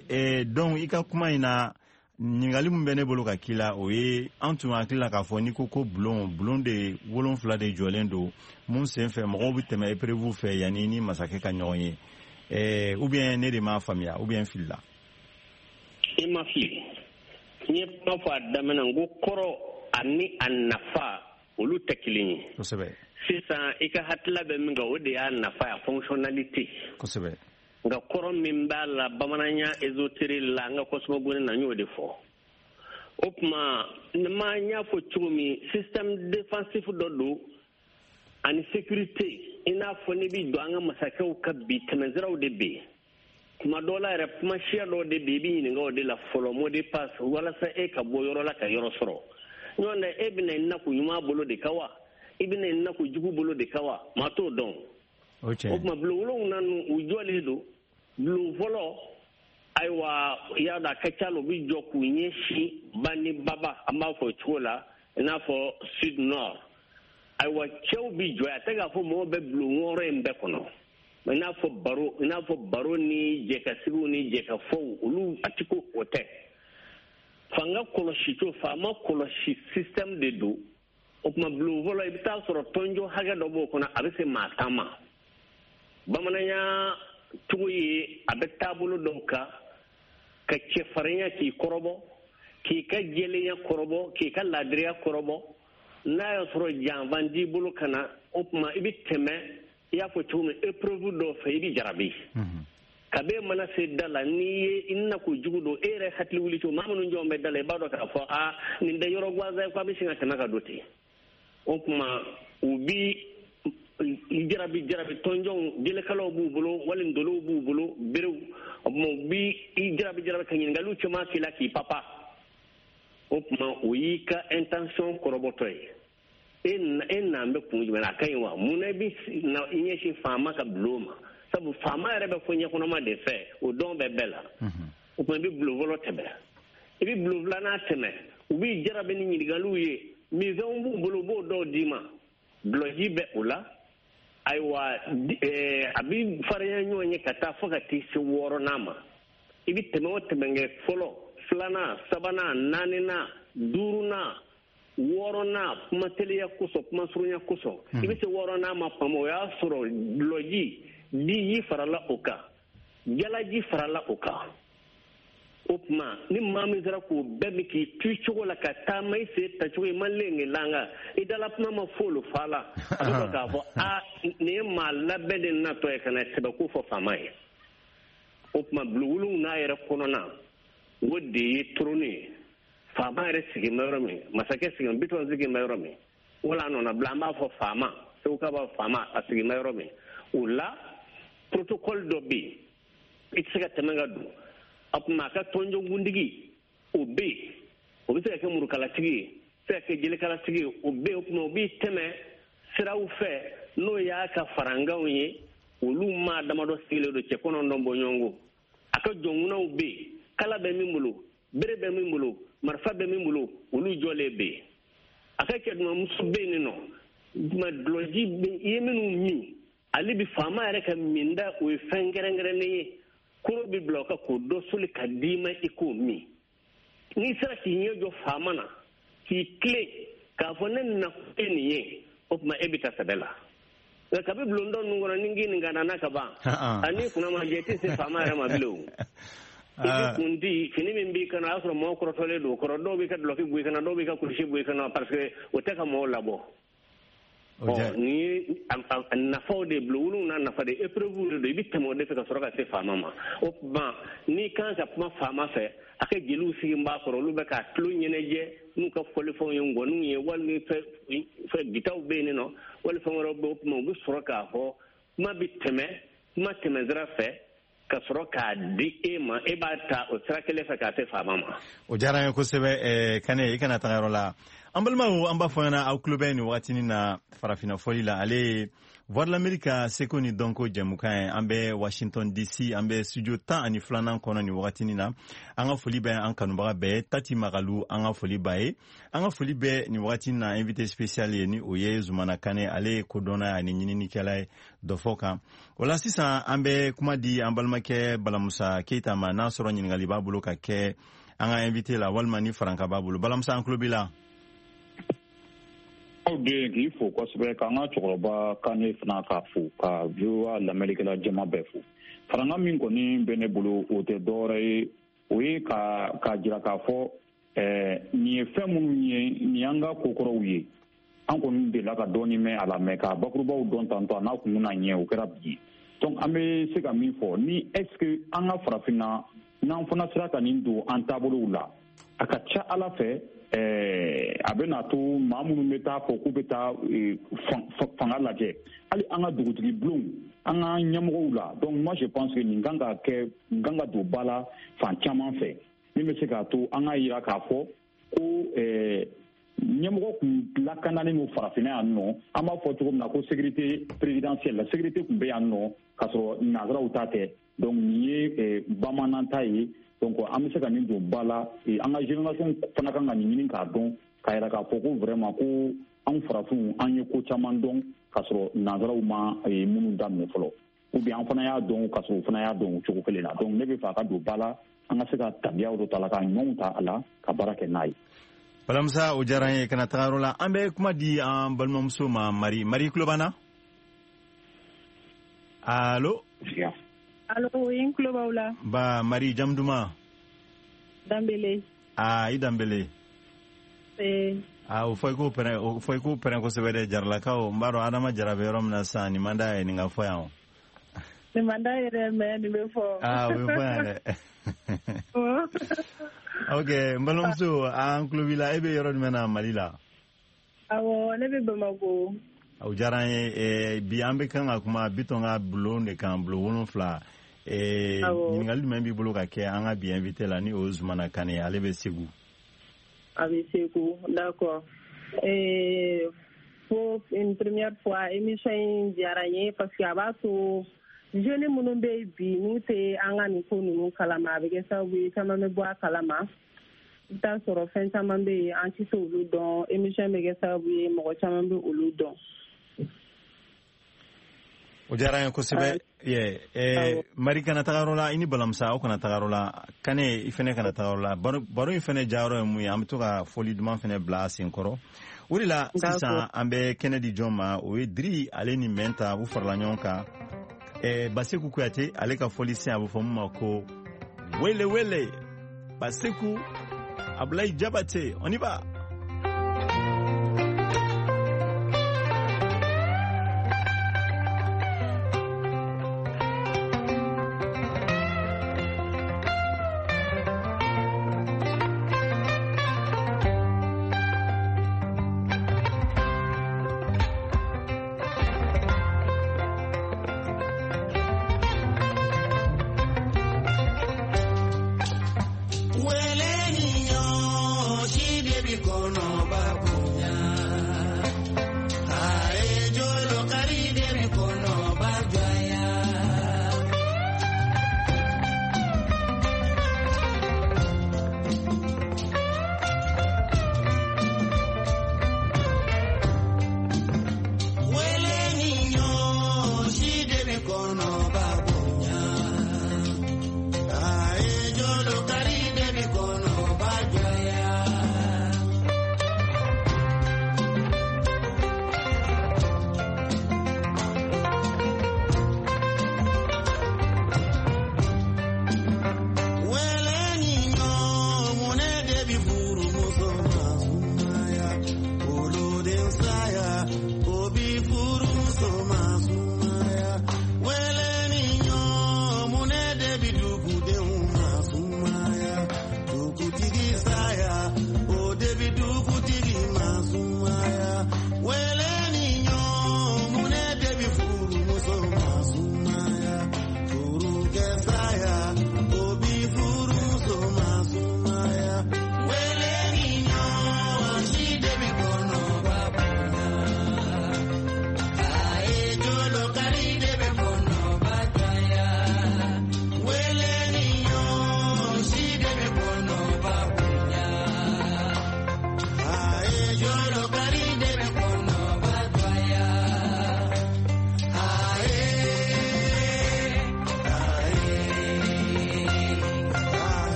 donc i ka kuma in na, ɲininkali min bɛ ne bolo ka k'i la, o ye an tun hakili la k'a fɔ n'i ko ko bulon, bulon de wolonfila de jɔlen don, mun sen fɛ mɔgɔw bɛ tɛmɛ épreuve fɛ yanni ni masakɛ ka ɲɔgɔn ye. Ou bien ne de m'a faamuya, ou bien n filila? I ma fili. N ye kuma fɔ a daminɛ, n ko kɔrɔ ani a nafa, olu tɛ kelen ye. Sisan i ka hakilila bɛ min kan, o de y'a nafa ye, a fonctionnalité. Nka kɔrɔ min b'a la bamananya ésotérique la, an ka cosmogonie na, n y'o de fɔ. O tuma ma n y'a fɔ cogo min, système défensif dɔ don ani sécurité. I n'a fɔ n'i bɛ don an ka masakɛw ka bi, tɛmɛsiraw de bɛ yen. Tuma dɔw la yɛrɛ, kuma siya dɔw de bɛ yen, i bɛ ɲininka o de la fɔlɔ, mot de passe, walasa e ka bɔ yɔrɔ la ka yɔrɔ sɔrɔ. Ɲɔgɔn tɛ, e bɛna i nakun ɲuman bolo de kan wa, i bɛna i nakun jugu bolo de kan wa, maa t'o dɔn. O tuma bulon wolonwula ninnu, u jɔlen don. Bulon fɔlɔ, ayiwa, i y'a dɔn, a ka ca la, u bɛ jɔ k'u ɲɛsin ba ni baba, an b'a fɔ o cogo la, i n'a fɔ sud, nord. Ayiwa, cɛw bɛ jɔ, a tɛ k'a fɔ mɔgɔw bɛ bulon wɔɔrɔ in bɛɛ kɔnɔ, i n'a fɔ baro, i n'a fɔ baro ni jɛkasigiw ni jɛkafɔw, olu a ti ko o tɛ. Fanga kɔlɔsi cogo, faama kɔlɔsi système de don. O tuma bulon fɔlɔ, i bɛ taa sɔrɔ tɔnjɔ hakɛ dɔ b'o kɔnɔ, a bɛ se maa 10 ma. Bamananya cogo ye, a bɛ taabolo dɔw kan, ka cɛfarinya k'i kɔrɔbɔ, k'i ka jɛlenya kɔrɔbɔ, k'i ka laadiriya kɔrɔbɔ. N'a y'a sɔrɔ janfan t'i bolo ka na, o tuma i bɛ tɛmɛ, i y'a fɔ cogo min, épreuve dɔw fɛ, i bɛ jarabi. Kabe mana se da la, n'i ye i nako jugu don, e yɛrɛ hakili wuli cogo, maa minnu jɔn bɛ da la, i b'a dɔn k'a fɔ aa, nin tɛ yɔrɔ gansan ye, k'a bɛ sin ka tɛmɛ ka don ten. O tuma u bi jarabi jarabi tɔnjɔnw, jelekalaw b'u bolo, wali ndolow b'u bolo, berew. O tuma u bi i jarabi jarabi ka ɲininkaliw caman k'i la k'i papa. O tuma o y'i ka intention kɔrɔbɔtɔ ye. E n'an bɛ kun jumɛn na? A ka ɲi wa? Mun na i bɛ i ɲɛsin faama ka bulon ma? Sabu faama yɛrɛ bɛ fɔ ɲɛkɔnɔma de fɛ, o dɔn bɛ bɛɛ la. O tuma i bɛ bulon fɔlɔ tɛmɛ, i bɛ bulon filanan tɛmɛ, u b'i jarabi ni ɲininkaliw ye. Minfɛnw b'u bolo, u b'o dɔw d'i ma. Dulɔji bɛ o la. Ayiwa, a bɛ farinya ɲɔgɔn ye ka taa fo ka t'i se wɔɔrɔnan ma. I bɛ tɛmɛ o tɛmɛ kɛ, fɔlɔ, filanan, sabanan, naaninan, duurunan, wɔɔrɔnan, kuma teliya kosɔn, kuma surunya kosɔn, i bɛ se wɔɔrɔnan ma tuma min, o y'a sɔrɔ dulɔji diji farala o kan, jalaji farala o kan. O tuma ni maa min sera k'o bɛɛ min k'i to i cogo la ka taama i sen tacogo i ma lenge langa, i dala kuma ma folo fa la, a bɛ sɔrɔ k'a fɔ a nin ye maa labɛn de natɔ ye ka na sɛbɛko fɔ faama ye. O tuma bulon wolonwula yɛrɛ kɔnɔna, o de ye trône ye. Faama yɛrɛ sigin bɛ yɔrɔ min, masakɛ sigin, Bitɔn sigin bɛ yɔrɔ min, wala a nɔnabila, an b'a fɔ faama, seguka b'a fɔ faama, a sigin bɛ yɔrɔ min. O la protocole dɔ bɛ yen, i tɛ se ka tɛmɛ ka don. A tuma a ka tɔnjɔnkuntigi o bɛ yen, o bɛ se ka kɛ murukalatigi ye, se ka kɛ jelekalatigi ye, o bɛ yen. O tuma o b'i tɛmɛ siraw fɛ, n'o y'a ka farankanw ye, olu maa damadɔ sigilen don, cɛ 9 bɔɲɔgɔnko. A ka jɔnkunnaw bɛ yen, kala bɛ min bolo, bere bɛ min bolo, marifa bɛ min bolo, olu jɔlen bɛ yen. A ka cɛdumamuso bɛ yen nɔ, tuma dulɔji i ye minnu min, ale bi faama yɛrɛ ka minda, o ye fɛn kɛrɛnkɛrɛnnen ye. Koro bɛ bila o kan k'o dɔ soli ka d'i ma i k'o min. N'i sera k'i ɲɛ jɔ faama na, k'i tilen k'a fɔ ne nakun ye nin ye, o tuma e bɛ taa sɛbɛ la. Nka kabi bulon dɔ ninnu kɔnɔ, ni k'i nin ka nana ka ban, ani kunna ma jɛ, i tɛ se faama yɛrɛ ma bilen o. I bɛ kun di fini min b'i kan na, o y'a sɔrɔ mɔgɔw kɔrɔtɔlen don o kɔrɔ. Dɔw b'i ka dulɔki bɔ i kan na, dɔw b'i ka kulusi bɔ i kan na, parce que o tɛ ka mɔgɔw labɔ. Ɔ nin ye nafaw de ye, bulon wolonwula nafa de ye, épreuve de don, i bɛ tɛmɛ o de fɛ ka sɔrɔ ka se faama ma. O tuma n'i kan ka kuma faama fɛ, a ka jeliw sigi b'a kɔrɔ, olu bɛ k'a tulo ɲɛnajɛ n'u ka fɔlifɛnw ye, ngɔniw ye, wali fɛn gitaw bɛ yen nɔ, wali fɛn wɛrɛw bɛ yen. O tuma u bɛ sɔrɔ k'a fɔ kuma bɛ tɛmɛ kuma tɛmɛsira fɛ ka sɔrɔ k'a di e ma, e b'a ta o sira kelen fɛ k'a se faama ma. O diyara n ye kosɛbɛ. Kane, i kana taga yɔrɔ la. An balimaw, an b'a fɔ ɲɛna, aw tulo bɛ nin wagatinin na farafinna fɔli la, ale ye Voix de l'Amérique ka seko ni dɔnko jɛmukan ye. An bɛ Washington DC, an bɛ studio 12nan kɔnɔ nin wagatinin na. An ka foli bɛ an kanubaga bɛɛ, Tati Magalu, an ka foli b'a ye. An ka foli bɛ nin wagatinin na invité spécial ye, ni o ye Zumana Kane, ale ye kodɔnna ani ɲininikɛla ye dɔfɔ kan. O la sisan an bɛ kuma di an balimakɛ Balamusa Keyita ma, n'a sɔrɔ ɲininkali b'a bolo ka kɛ an ka invité la, walima ni faranka b'a bolo. Balamusa, an tulo b'i la. Aw den, k'i fo kosɛbɛ, k'an ka cɛkɔrɔba Kane fana k'a fo, ka VOA lamɛnnikɛla jama bɛɛ fo. Faranka min kɔni bɛ ne bolo, o tɛ dɔwɛrɛ ye, o ye ka jira k'a fɔ nin ye fɛn minnu ye, nin y'an ka kokɔrɔw ye. An kɔni delila ka dɔɔni mɛn a la, mɛ k'a bakurubaw dɔn tantɔ a n'a kun na ɲɛ, o kɛra bi ye. Donc an bɛ se ka min fɔ ni, est ce que an ka farafinna, n'an fana sera ka nin don an taabolow la, a ka ca Ala fɛ, a bɛna to maa minnu bɛ taa fɔ k'u bɛ taa fanga lajɛ, hali an ka dugutigi bulonw, an ka ɲɛmɔgɔw la. Donc moi je pense que nin kan ka kɛ, nin kan ka don ba la fan caman fɛ, min bɛ se k'a to an ka yira k'a fɔ ko ɲɛmɔgɔ kun lakananen don farafinna yan nɔ. An b'a fɔ cogo min na ko sécurité présidentielle, la sécurité kun bɛ yan nɔ k'a sɔrɔ nanzaraw ta tɛ. Donc nin ye bamanan ta ye. Donc an bɛ se ka nin don ba la. An ka génération fana kan ka nin ɲini k'a dɔn, k'a yira k'a fɔ ko vraiment ko anw farafinw, an ye ko caman dɔn k'a sɔrɔ nanzaraw ma minnu daminɛ fɔlɔ, ou bien an fana y'a dɔn k'a sɔrɔ u fana y'a dɔn o cogo kelen na. Donc ne bɛ fɛ a ka don ba la, an ka se ka tabiyaw dɔ ta la, ka ɲumanw ta a la, ka baara kɛ n'a ye. Balamusa, o diyara n ye. Kana taga yɔrɔ la, an bɛ kuma di an balimamuso ma, Mari. Mari, tulo b'an na? Allo? Allo, n tulo b'aw la. Ba Mari, jamu duman? Danbele. Aa, i Danbele. Aa, o fɔ i k'o pɛrɛn, o fɔ i k'o pɛrɛn kosɛbɛ dɛ, Jaralakaw. N b'a dɔn Adama Jara bɛ yɔrɔ min na sisan, nin man d'a ye nin ka fɔ yan o. Nin man d'a ye dɛ, mais nin bɛ fɔ. Aa, o bɛ fɔ yan dɛ. Ok, n balimamuso, an tulo b'i la. E bɛ yɔrɔ jumɛn na Mali la? Awɔ, ne bɛ Bamakɔ. O diyara an ye. Bi an bɛ kan ka kuma Bitɔn ka bulon de kan, bulon 7. Ɲininkali jumɛn b'i bolo ka kɛ an ka bi invité la, ni o ye Zumana Kane ye, ale bɛ Segu. A bɛ Segu, d'accord. Pour une première fois, émission in diyara n ye parce que a b'a to jeunes minnu bɛ yen bi, n'u tɛ an ka nin ko ninnu kalama, a bɛ kɛ sababu ye caman bɛ bɔ a kalama. I bɛ taa sɔrɔ fɛn caman bɛ yen, an tɛ se olu dɔn. Émission bɛ kɛ sababu ye mɔgɔ caman bɛ olu dɔn. O diyara an ye kosɛbɛ. Mari kana taga yɔrɔ la, i ni Balamusa aw kana taga yɔrɔ la, Kane i fɛnɛ kana taga yɔrɔ la. Baro in fɛnɛ diyayɔrɔ ye mun ye, an bɛ to ka fɔli duman fɛnɛ bila a sen kɔrɔ. O de la sisan an bɛ kɛnɛ di jɔn ma, o ye Diri ale ni Mɛnta, u farala ɲɔgɔn kan. Baseku Kuyate ale ka fɔli sen, a bɛ fɔ mun ma ko wele wele. Baseku Abulayi Jabate, on y va.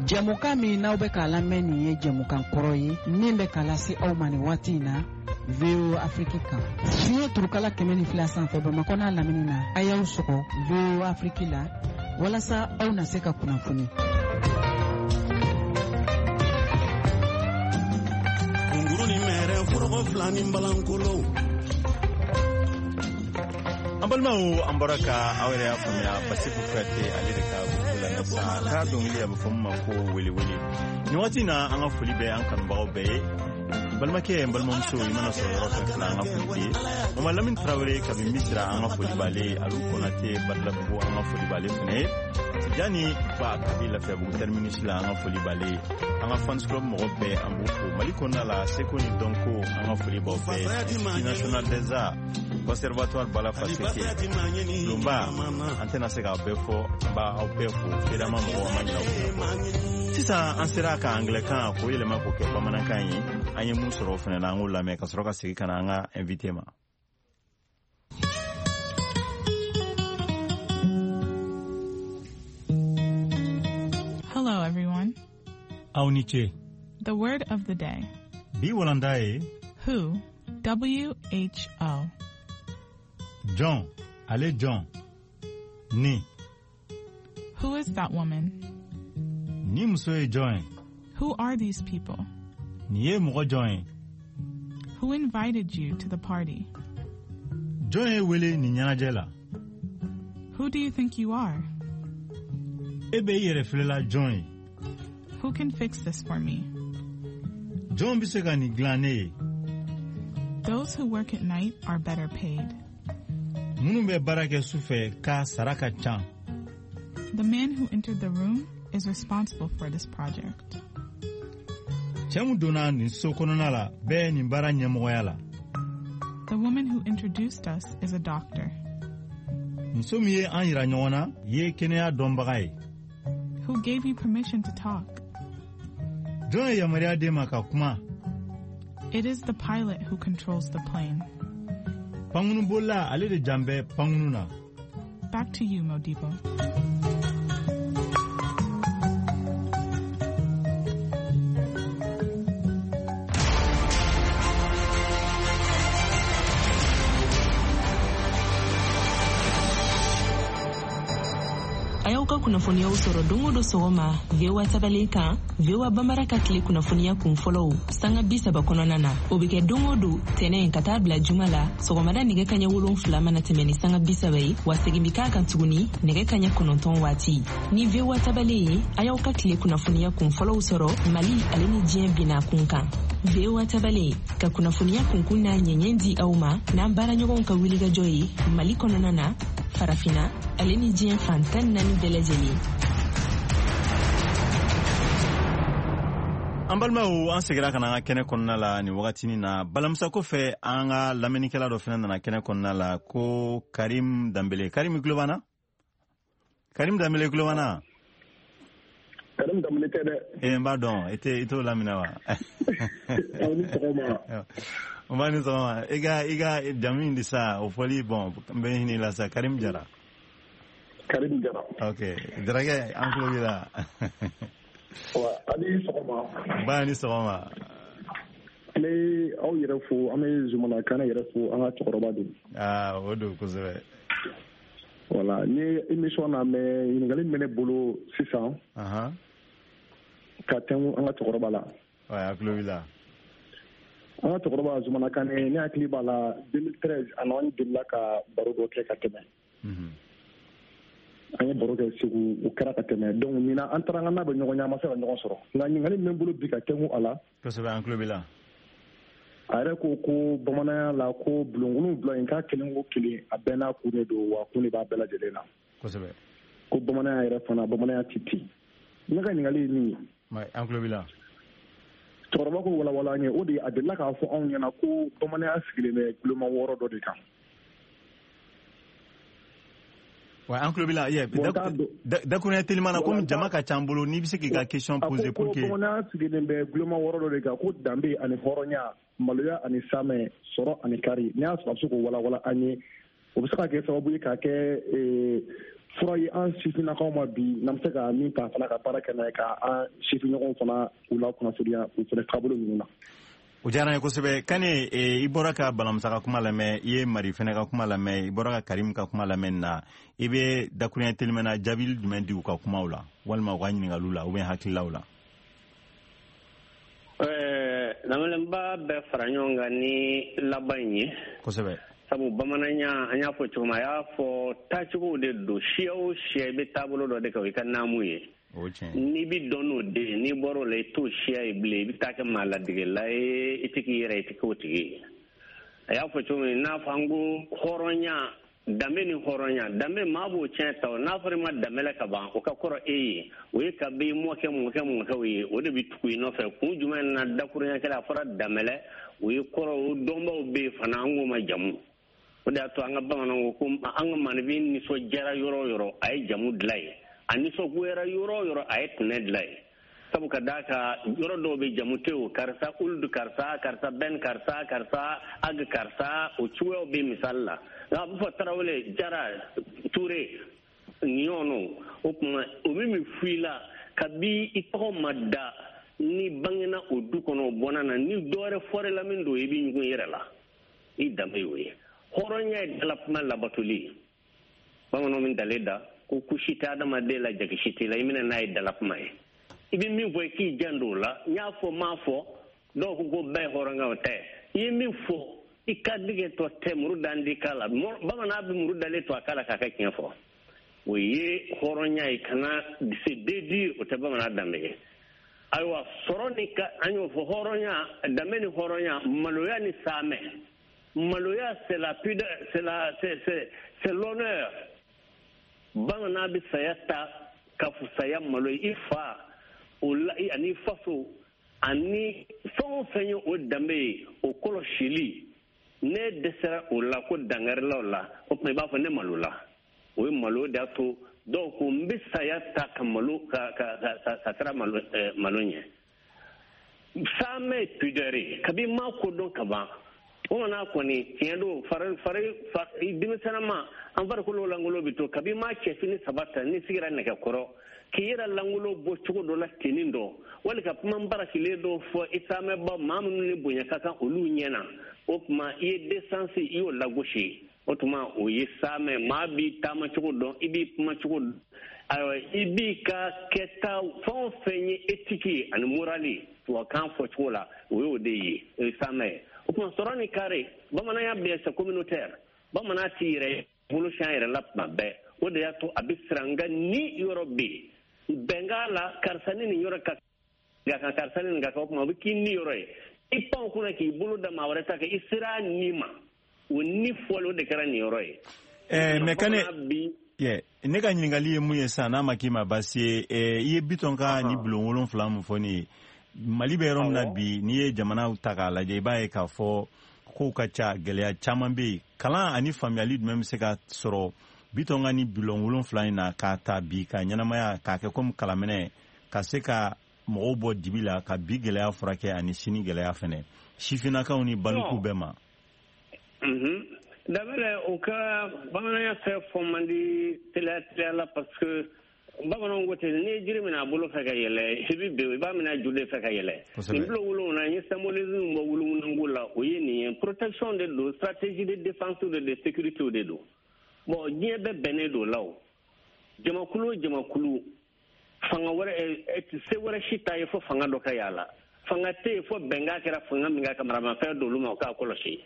Jɛmukan min n'aw bɛ k'a lamɛn nin ye jɛmukan kɔrɔ ye min bɛ k'a lase aw ma nin waati in na VOA Afrique kan. Fiɲɛ turukala 102 sanfɛ Bamakɔ n'a lamini na, a y'aw sɔgɔ VOA Afrique la walasa aw na se ka kunnafoni. Kunguru ni mɛrɛ foroko fila ni balankolo. An balimaw, an bɔra ka aw yɛrɛ y'a faamuya Basiku Kuyate ale de ka gurupu lamɛn sisan, k'a dɔnkili a bɛ fɔ min ma ko welewele. Nin waati in na, an ka foli bɛ an kanubagaw bɛɛ ye. Balimakɛ, n balimamuso, i mana sɔrɔ yɔrɔ fɛn fɛn na, an ka foli b'i ye. Mama Lamini Tarawele kabi Misira, an ka foli b'ale ye. Alu Konate Badilabugu, an ka foli b'ale fɛnɛ ye. Tijani Ba kabi Lafiyabugu terminus la, an ka foli b'ale ye. An ka fans club mɔgɔ bɛɛ, an b'u fo. Mali kɔnɔna la, seko ni dɔnko, an ka foli b'aw bɛɛ ye. Institut national des arts, conservatoire Bala Faseke, Bulonba, an tɛna se k'aw bɛɛ fɔ, an b'aw bɛɛ fo. Fedama mɔgɔw, an ma ɲinɛ aw kɔ. Sisan an sera ka anglais-kan k'o yɛlɛma k'o kɛ bamanankan ye. An ye mun sɔrɔ o fɛnɛ na, an k'o lamɛn ka sɔrɔ ka segin ka na an ka invité ma. Hello, everyone. Aw ni ce. The word of the day. Bi walanda ye. Who, W-H-O. Jɔn, ale jɔn. Ni. Who is that woman? Ni muso ye jɔn ye? Who are these people? Nin ye mɔgɔ jɔn ye? Who invited you to the party? Jɔn y'e wele nin ɲɛnajɛ la? Who do you think you are? E bɛ i yɛrɛ filɛla jɔn ye? Who can fix this for me? Jɔn bɛ se ka nin dilan ne ye? Those who work at night are better paid. Minnu bɛ baara kɛ su fɛ ka sara ka ca. The man who entered the room is responsible for this project. Cɛ min donna nin so kɔnɔna la bɛ nin baara ɲɛmɔgɔya la. The woman who introduced us is a doctor. Muso min ye an yira ɲɔgɔn na ye kɛnɛya dɔnbaga ye. Who gave you permission to talk? Jɔn ye yamaruya d'e ma ka kuma? It is the pilot who controls the plane. Pankurunbolila ale de jan bɛ pankurun na. Back to you, Modibo. A y'aw ka kunnafoniyaw sɔrɔ don o don sɔgɔma VOA tabalen kan, VOA Bambara ka tile kunnafoniya kun fɔlɔw sanga 30 kɔnɔna na. O bɛ kɛ don o don tɛnɛ ka taa bila juma la sɔgɔmada nɛgɛ kaɲɛ 7 mana tɛmɛ ni sanga 30 ye, wa segin bɛ k'a kan tuguni nɛgɛ kaɲɛ 9 waati. Ni VOA tabalen ye, a y'aw ka tile kunnafoniya kun fɔlɔw sɔrɔ Mali ale ni diɲɛ binna kun kan. VOA tabalen ka kunnafoniya kunkun n'a ɲɛɲɛ di aw ma n'an baaraɲɔgɔnw ka wulikajɔ ye Mali kɔnɔna na, Farafina ale ni diɲɛ fan 14 bɛɛ lajɛlen. An balimaw, an segira ka na an ka kɛnɛ kɔnɔna la nin wagatinin na. Balamusa kɔfɛ, an ka lamɛnnikɛla dɔ fana nana kɛnɛ kɔnɔna la ko Karim Danbele. Karim, i tulo b'an na? Karim Danbele, i tulo b'an na? Karim Danbele tɛ dɛ. Ee, n b'a dɔn, i tɛ i t'o laminɛ wa? Aw ni sɔgɔma. N b'a ni sɔgɔma. I ka jamu in de sa, o fɔli bon, n bɛ hinɛ i la sa. Karim Jara. Karim Jara. Ok, Jarakɛ, an tulo b'i la. Wa, a ni sɔgɔma. Ba ni sɔgɔma. An bɛ aw yɛrɛ fo, an bɛ Zumana Kane yɛrɛ fo, an ka cɛkɔrɔba don. Aa, o don kosɛbɛ. Voilà, n ye émission na mais ɲininkali min bɛ ne bolo sisan ka tɛnku an ka cɛkɔrɔba la. Ouais, a tulo b'i la. An ka cɛkɔrɔba Zumana Kane, ne hakili b'a la 2013, a n'an delila ka baro dɔ kɛ ka tɛmɛ. An ye baro kɛ Segu, o kɛra ka tɛmɛ. Donc ɲinan an taara an ka n'a bɛ ɲɔgɔn ye, an ma se ka ɲɔgɔn sɔrɔ. Nka ɲininkali min bɛ n bolo bi ka tɛnku a la. Kosɛbɛ, an tulo b'i la. A yɛrɛ ko ko bamananya la ko bulon 7 in k'a kelen o kelen a bɛɛ n'a kun de don, wa kun de b'a bɛɛ lajɛlen na. Ko bamananya yɛrɛ fana, bamananya tɛ ten. Ne ka ɲininkali ye min ye. An tulo b'i la. Cɛkɔrɔba ko walawala an ye, o de ye a delila k'a fɔ anw ɲɛna ko bamananya sigilen bɛ guloma 6 dɔ de kan. Ouais, an tulo b'i la. Dakuruɲɛ telima na, komi jama ka ca an bolo, n'i bɛ se k'i ka question poser pour que. A ko ko bamananya sigilen bɛ guloma 6 dɔ de kan, ko danbe ani hɔrɔnya, maloya ani samɛ, sɔrɔ ani kari. N'i y'a sɔrɔ a bɛ se k'o walawala an ye, o bɛ se ka kɛ sababu ye k'a kɛ fura ye an sifinnakaw ma bi, n'an bɛ se ka min ta fana ka baara kɛ n'a ye, ka an sifinɲɔgɔnw fana k'u lakunnafoniya u fana taabolo ninnu na. O diyara n ye kosɛbɛ. Kane, i bɔra ka Balamusa ka kuma lamɛn, i ye Mari fɛnɛ ka kuma lamɛn, i bɔra ka Karim ka kuma lamɛn nin na. I bɛ dakuruɲɛ telimɛ na jaabili jumɛn di u ka kumaw la, walima u ka ɲininkaliw la, ou bien hakililaw la? Lamɛnba bɛɛ fara ɲɔgɔn kan ni laban in ye. Sabu bamananya, an y'a fɔ cogo min, a y'a fɔ taacogow de don. Siya o siya, i bɛ taabolo dɔ de kan, o y'i ka naamu ye. N'i bɛ dɔn n'o de ye, n'i bɔr'o la, i t'o siya ye bilen, i bɛ taa kɛ maa ladegela ye, i tɛ k'i yɛrɛ, i tɛ k'o tigi ye. A y'a fɔ cogo min n'a fɔ an ko hɔrɔnya, danbe ni hɔrɔnya, danbe maa b'o tiɲɛ ta o. N'a fɔra i ma danbe la ka ban, o ka kɔrɔ e ye, o ye kabi mɔkɛ mɔkɛ mɔkɛw ye, o de bɛ tugu i nɔfɛ. Kun jumɛn na dakurunya kɛla a fɔra danbɛlɛ, o ye kɔrɔ, o dɔnbaw bɛ yen fana, an k'o ma jamu. O de y'a to an ka bamananw ko an ka maninfin nisɔndiyara yɔrɔ o yɔrɔ, a ye jamu dilan yen. A nisɔngoyara yɔrɔ o yɔrɔ, a ye tɛnɛ dilan yen. Sabu ka d'a kan, yɔrɔ dɔw bɛ jamu tɛ o, karisa uludu karisa, karisa bɛn karisa, karisa ag karisa, o cogoyaw bɛ misali la. Nka a bɛ fɔ Tarawele, Jara, Ture, ɲɔgɔnw, o tuma o bɛ min f'i la kabi i tɔgɔ ma da, ni bangena o du kɔnɔ, o bɔnna na, ni dɔ wɛrɛ fɔra la min don, i bɛ ɲugun i yɛrɛ la. I danbe y'o ye. Hɔrɔnya ye dalakuma labatoli ye. Bamananw min dale da ko kusi tɛ adamaden la, jagisi t'i la, i minɛ n'a ye dalakuma ye. I bɛ min fɔ, i k'i janto o la. N y'a fɔ, n m'a fɔ, Dɔw ko bɛɛ ye hɔrɔnkɛ, o tɛ. I ye min fɔ, i ka dege tɔ tɛ muru dan di k'a la. Bamanan bɛ muru dalen to a k'a la k'a ka tiɲɛ fɔ. O ye hɔrɔnya ye, kana se dédire, o tɛ bamanan danbe ye. Ayiwa, sɔrɔ ni ka an y'o fɔ, hɔrɔnya, danbe ni hɔrɔnya, maloya ni saamɛ. Maloya, c'est la pudeur, c'est la c'est l'honneur. Bamanan bɛ saya ta ka fusaya malo ye. I fa o la, ani faso ani fɛn o fɛn ye o danbe ye, o kɔlɔsili. Ne dɛsɛra o la ko dangarila o la, o tuma i b'a fɔ ne malola. O ye malo de y'a to dɔw ko n bɛ saya ta ka malo ka ka ka ka sira malo malo ɲɛ. Saamɛ pudeur ye, kabi ma ko dɔn ka ban. Bamanan kɔni tiɲɛ don, fari fari denmisɛnninma an farikolo langolo bɛ to. Kabi ma cɛfini saba ta, n'i sigira nɛgɛkɔrɔ k'i yɛrɛ langolo bɔ cogo dɔ la tenin dɔ, wali ka kuma barakilen dɔ fɔ i saamɛba maa minnu ni bonya ka kan olu ɲɛ na, o tuma i ye décence, i y'o lagosi. O tuma o ye saamɛ. Maa b'i taama cogo dɔn, i b'i kuma cogo dɔn, ayiwa, i b'i ka kɛta fɛn o fɛn ye éthique ye ani morale, tubabukan fɔ cogo la, o y'o de ye, o ye saamɛ ye. O tuma sɔrɔ ni kari, bamananya bɛɛ c'est communautaire. Bamanan t'i yɛrɛ bolo siɲɛ yɛrɛ la tuma bɛɛ. O de y'a to a bɛ siran, nka ni yɔrɔ bɛ yen bɛnkan la, karisa ni nin yɔrɔ ka kan, karisa ni nin ka kan, o tuma o bɛ k'i ni yɔrɔ ye. I pan o kunna k'i bolo da maa wɛrɛ ta kan, i sera a ni ma, o ni fɔli, o de kɛra nin yɔrɔ ye. Mais Kane, ne ka ɲininkali ye mun ye sisan, n'a ma k'i ma baasi ye, i ye Bitɔn ka ni bulon 7 mun fɔ ne ye, Mali bɛ yɔrɔ min na bi, n'i ye jamanaw ta k'a lajɛ, i b'a ye k'a fɔ kow ka ca, gɛlɛya caman bɛ yen. Kalan ani faamuyali jumɛn bɛ se ka sɔrɔ Bitɔn ka ni bulon 7 in na, k'a ta bi ka ɲɛnamaya k'a kɛ komi kalanminɛ, ka se ka mɔgɔw bɔ dibi la, ka bi gɛlɛya furakɛ ani sini gɛlɛya fɛnɛ, sifinnakaw ni balikuw bɛɛ ma? Daminɛ o ka bamananya fɛ fɔ man di teliya teliya la, parce que bamananw ko ten, n'i ye jiri minɛ a bolo fɛ ka yɛlɛ, i bɛ bin, i b'a minɛ a ju de fɛ ka yɛlɛ. Nin bulon 7, n ye symbolisme bɔ wolonwula la, o ye nin ye. Protection de don, stratégie de défense de sécurité de don. Bon, diɲɛ bɛɛ bɛnnen don la. O jamakulu o jamakulu, fanga wɛrɛ se wɛrɛ si t'a ye fo fanga dɔ ka y'a la. Fanga tɛ yen fo bɛnkan kɛra fanga min kan ka maramafɛn d'olu ma, o k'a kɔlɔsi.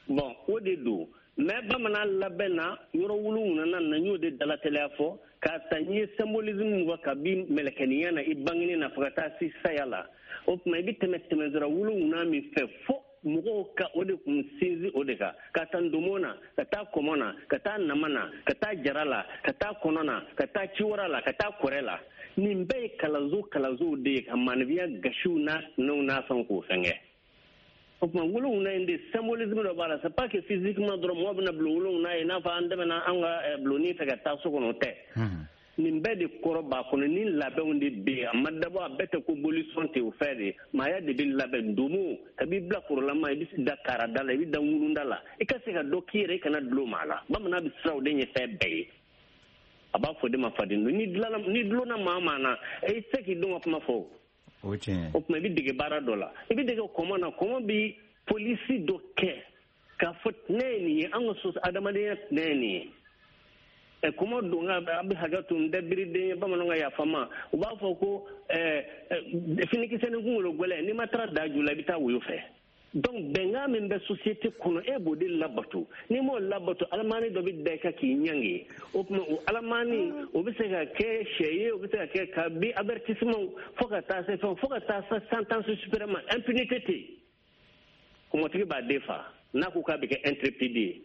Bon, o de don. Mais bamanan labɛn na yɔrɔ 7 na, n y'o de dalatɛliya fɔ k'a ta. N ye symbolisme min fɔ, kabi mɛlɛkɛninya na, i bangeni na, fo ka taa se saya la, o tuma i bɛ tɛmɛ tɛmɛsira 7 min fɛ, fo mɔgɔw ka o de kun sinsin o de kan, ka taa ndomo na, ka taa kɔmɔ na, ka taa nama na, ka taa jara la, ka taa kɔnɔ na, ka taa ciwara la, ka taa kɔrɛ la. Nin bɛɛ ye kalanso kalansow de ye ka maanifinya gasiw n'a sinɛw n'a fɛnw k'o fɛnkɛ. O tuma 7 in de symbolisme dɔ b'a la. C'est pas que physiquement dɔrɔn mɔgɔ bɛna bulon 7 ye, i n'a fɔ an tɛmɛna an ka bulonni fɛ ka taa so kɔnɔ, o tɛ. Nin bɛɛ de kɔrɔ b'a kɔnɔ, ni labɛnw de bɛ yen. A ma dabɔ a bɛɛ tɛ ko bolisɔn tɛ, o fɛn de maaya de bɛ labɛn. Ndomo, kabi bila kɔrɔlama, i bɛ da karada la, i bɛ da ŋununda la, i ka se ka dɔ k'i yɛrɛ, i kana dulon maa la. Bamanan bɛ siran o de ɲɛ fɛn bɛɛ ye. A b'a fɔ de ma faden don. Ni dulonna maa maa na, i tɛ se k'i dɔn ka kuma fɔ. O tiɲɛ. O tuma i bɛ dege baara dɔ la, i bɛ dege kɔmɔ na. Kɔmɔ bɛ polisi dɔ kɛ k'a fɔ tɛnɛ ye nin ye, an ka so adamadenya tɛnɛ ye nin ye. Kɔmɔ don, nka a bɛ hakɛ to, n tɛ biriden ye, bamananw ka yafa ma. U b'a fɔ ko finikisɛ ni kunkolo gɛlɛn, n'i ma taara da ju la, i bɛ taa woyo fɛ. Donc bɛnkan min bɛ société kɔnɔ, e b'o de labato. N'i m'o labato, alamani dɔ bɛ da i kan k'i ɲangi. O tuma o alamani, o bɛ se ka kɛ sɛ ye, o bɛ se ka kɛ kabi avertissement fo ka taa se fɛn, fo ka taa se sentence suprême. Impunité tɛ yen. Kɔmɔtigi b'a den fa n'a ko k'a bɛ kɛ intrépide ye.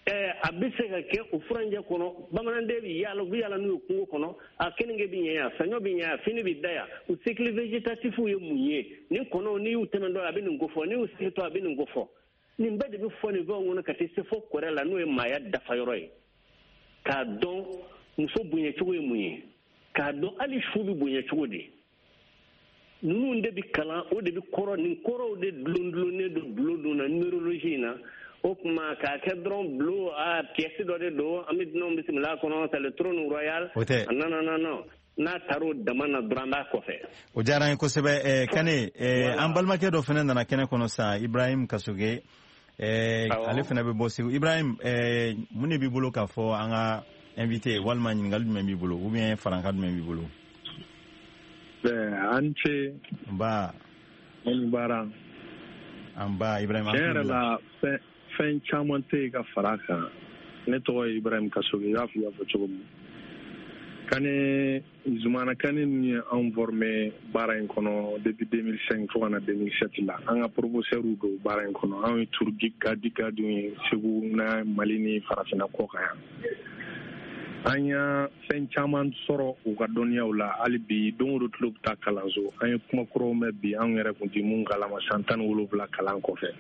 A bɛ se ka kɛ o furanjɛ kɔnɔ, bamananden bɛ yaala, u bɛ yaala n'u ye kungo kɔnɔ, a keninge bɛ ɲɛ yan, saɲɔ bɛ ɲɛ yan, fini bɛ da yan. O cycle végétatif ye mun ye? Nin kɔnɔw, n'i y'u tɛmɛ dɔ, a bɛ nin ko fɔ, n'i y'u sigitɔ, a bɛ nin ko fɔ. Nin bɛɛ de bɛ fɔ nin fɛnw kɔnɔ ka taa se fo kɔrɛ la, n'o ye maaya dafayɔrɔ ye. K'a dɔn muso bonya cogo ye mun ye, k'a dɔn hali su bɛ bonya cogo di. Ninnu de bɛ kalan, o de bɛ kɔrɔ, nin kɔrɔw de dulon dulonnen don bulon dun na numérologie in na. O tuma k'a kɛ dɔrɔn bulon a pièce dɔ de don, an bɛ dunanw bisimila a kɔnɔ, c'est le trône royal. O tɛ. Non, non, non, non, n'a taar'o dama na dɔrɔn, an b'a kɔfɛ. O diyara an ye kosɛbɛ. Kane, an balimakɛ dɔ fana nana kɛnɛ kɔnɔ sisan, Ibrahim Kasoge. Ale fana bɛ bɔ Segu. Ibrahim, mun de b'i bolo k'a fɔ an ka invité, walima ɲininkali jumɛn b'i bolo, ou bien farankan jumɛn b'i bolo? Bɛn, an ce. Nba. Ni baara. An ba Ibrahim. Tiɲɛ yɛrɛ la, fɛn caman tɛ yen ka fara a kan. Ne tɔgɔ ye Ibrahim Kasoge. I b'a fɔ i y'a fɔ cogo min, Kane, Zumana Kane ninnu ye anw formé baara in kɔnɔ depuis 2005 fo ka na 2007 la. An ka professeur don baara in kɔnɔ. Anw ye tour guide guidew ye Segu na, Mali ni farafinna kɔ kan yan. An y'a fɛn caman sɔrɔ u ka dɔnniyaw la. Hali bi, don o don tulo bɛ taa kalanso. An ye kuma kuraw mɛn bi, anw yɛrɛ kun ti mun kalama san 17 kalan kɔfɛ.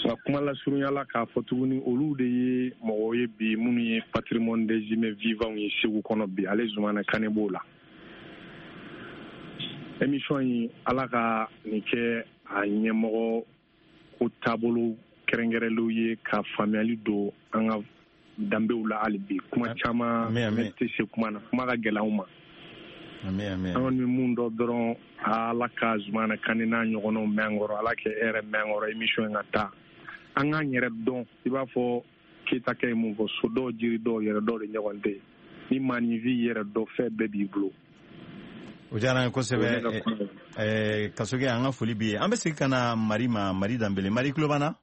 Nka kuma lasurunya la, k'a fɔ tuguni, olu de ye mɔgɔw ye bi minnu ye patrimoine des humains vivants ye Segu kɔnɔ bi. Ale Zumana Kane b'o la. Émission in, Ala ka nin kɛ a ɲɛmɔgɔ ko taabolo kɛrɛnkɛrɛnlenw ye ka faamuyali don an ka danbew la. Hali bi, kuma caman ne tɛ se kuma na, kuma ka gɛlɛn anw ma. An kɔni bɛ mun dɔn dɔrɔn, Ala ka Zumana Kane n'a ɲɔgɔnnaw mɛn an kɔrɔ. Ala kɛ e yɛrɛ mɛn an kɔrɔ. Émission in ka taa, an k'an yɛrɛ dɔn. I b'a fɔ Keyita kɛ ye mun fɔ: so dɔw, jiri dɔw, yɛrɛ dɔw de ɲɔgɔn tɛ. Ni maaninfin yɛrɛ dɔn, fɛn bɛɛ b'i bolo. O diyara an ye kosɛbɛ, Kasoge. An ka foli b'i ye. An bɛ segin ka na Mari ma, Mari Danbele. Mari, tulo b'an na?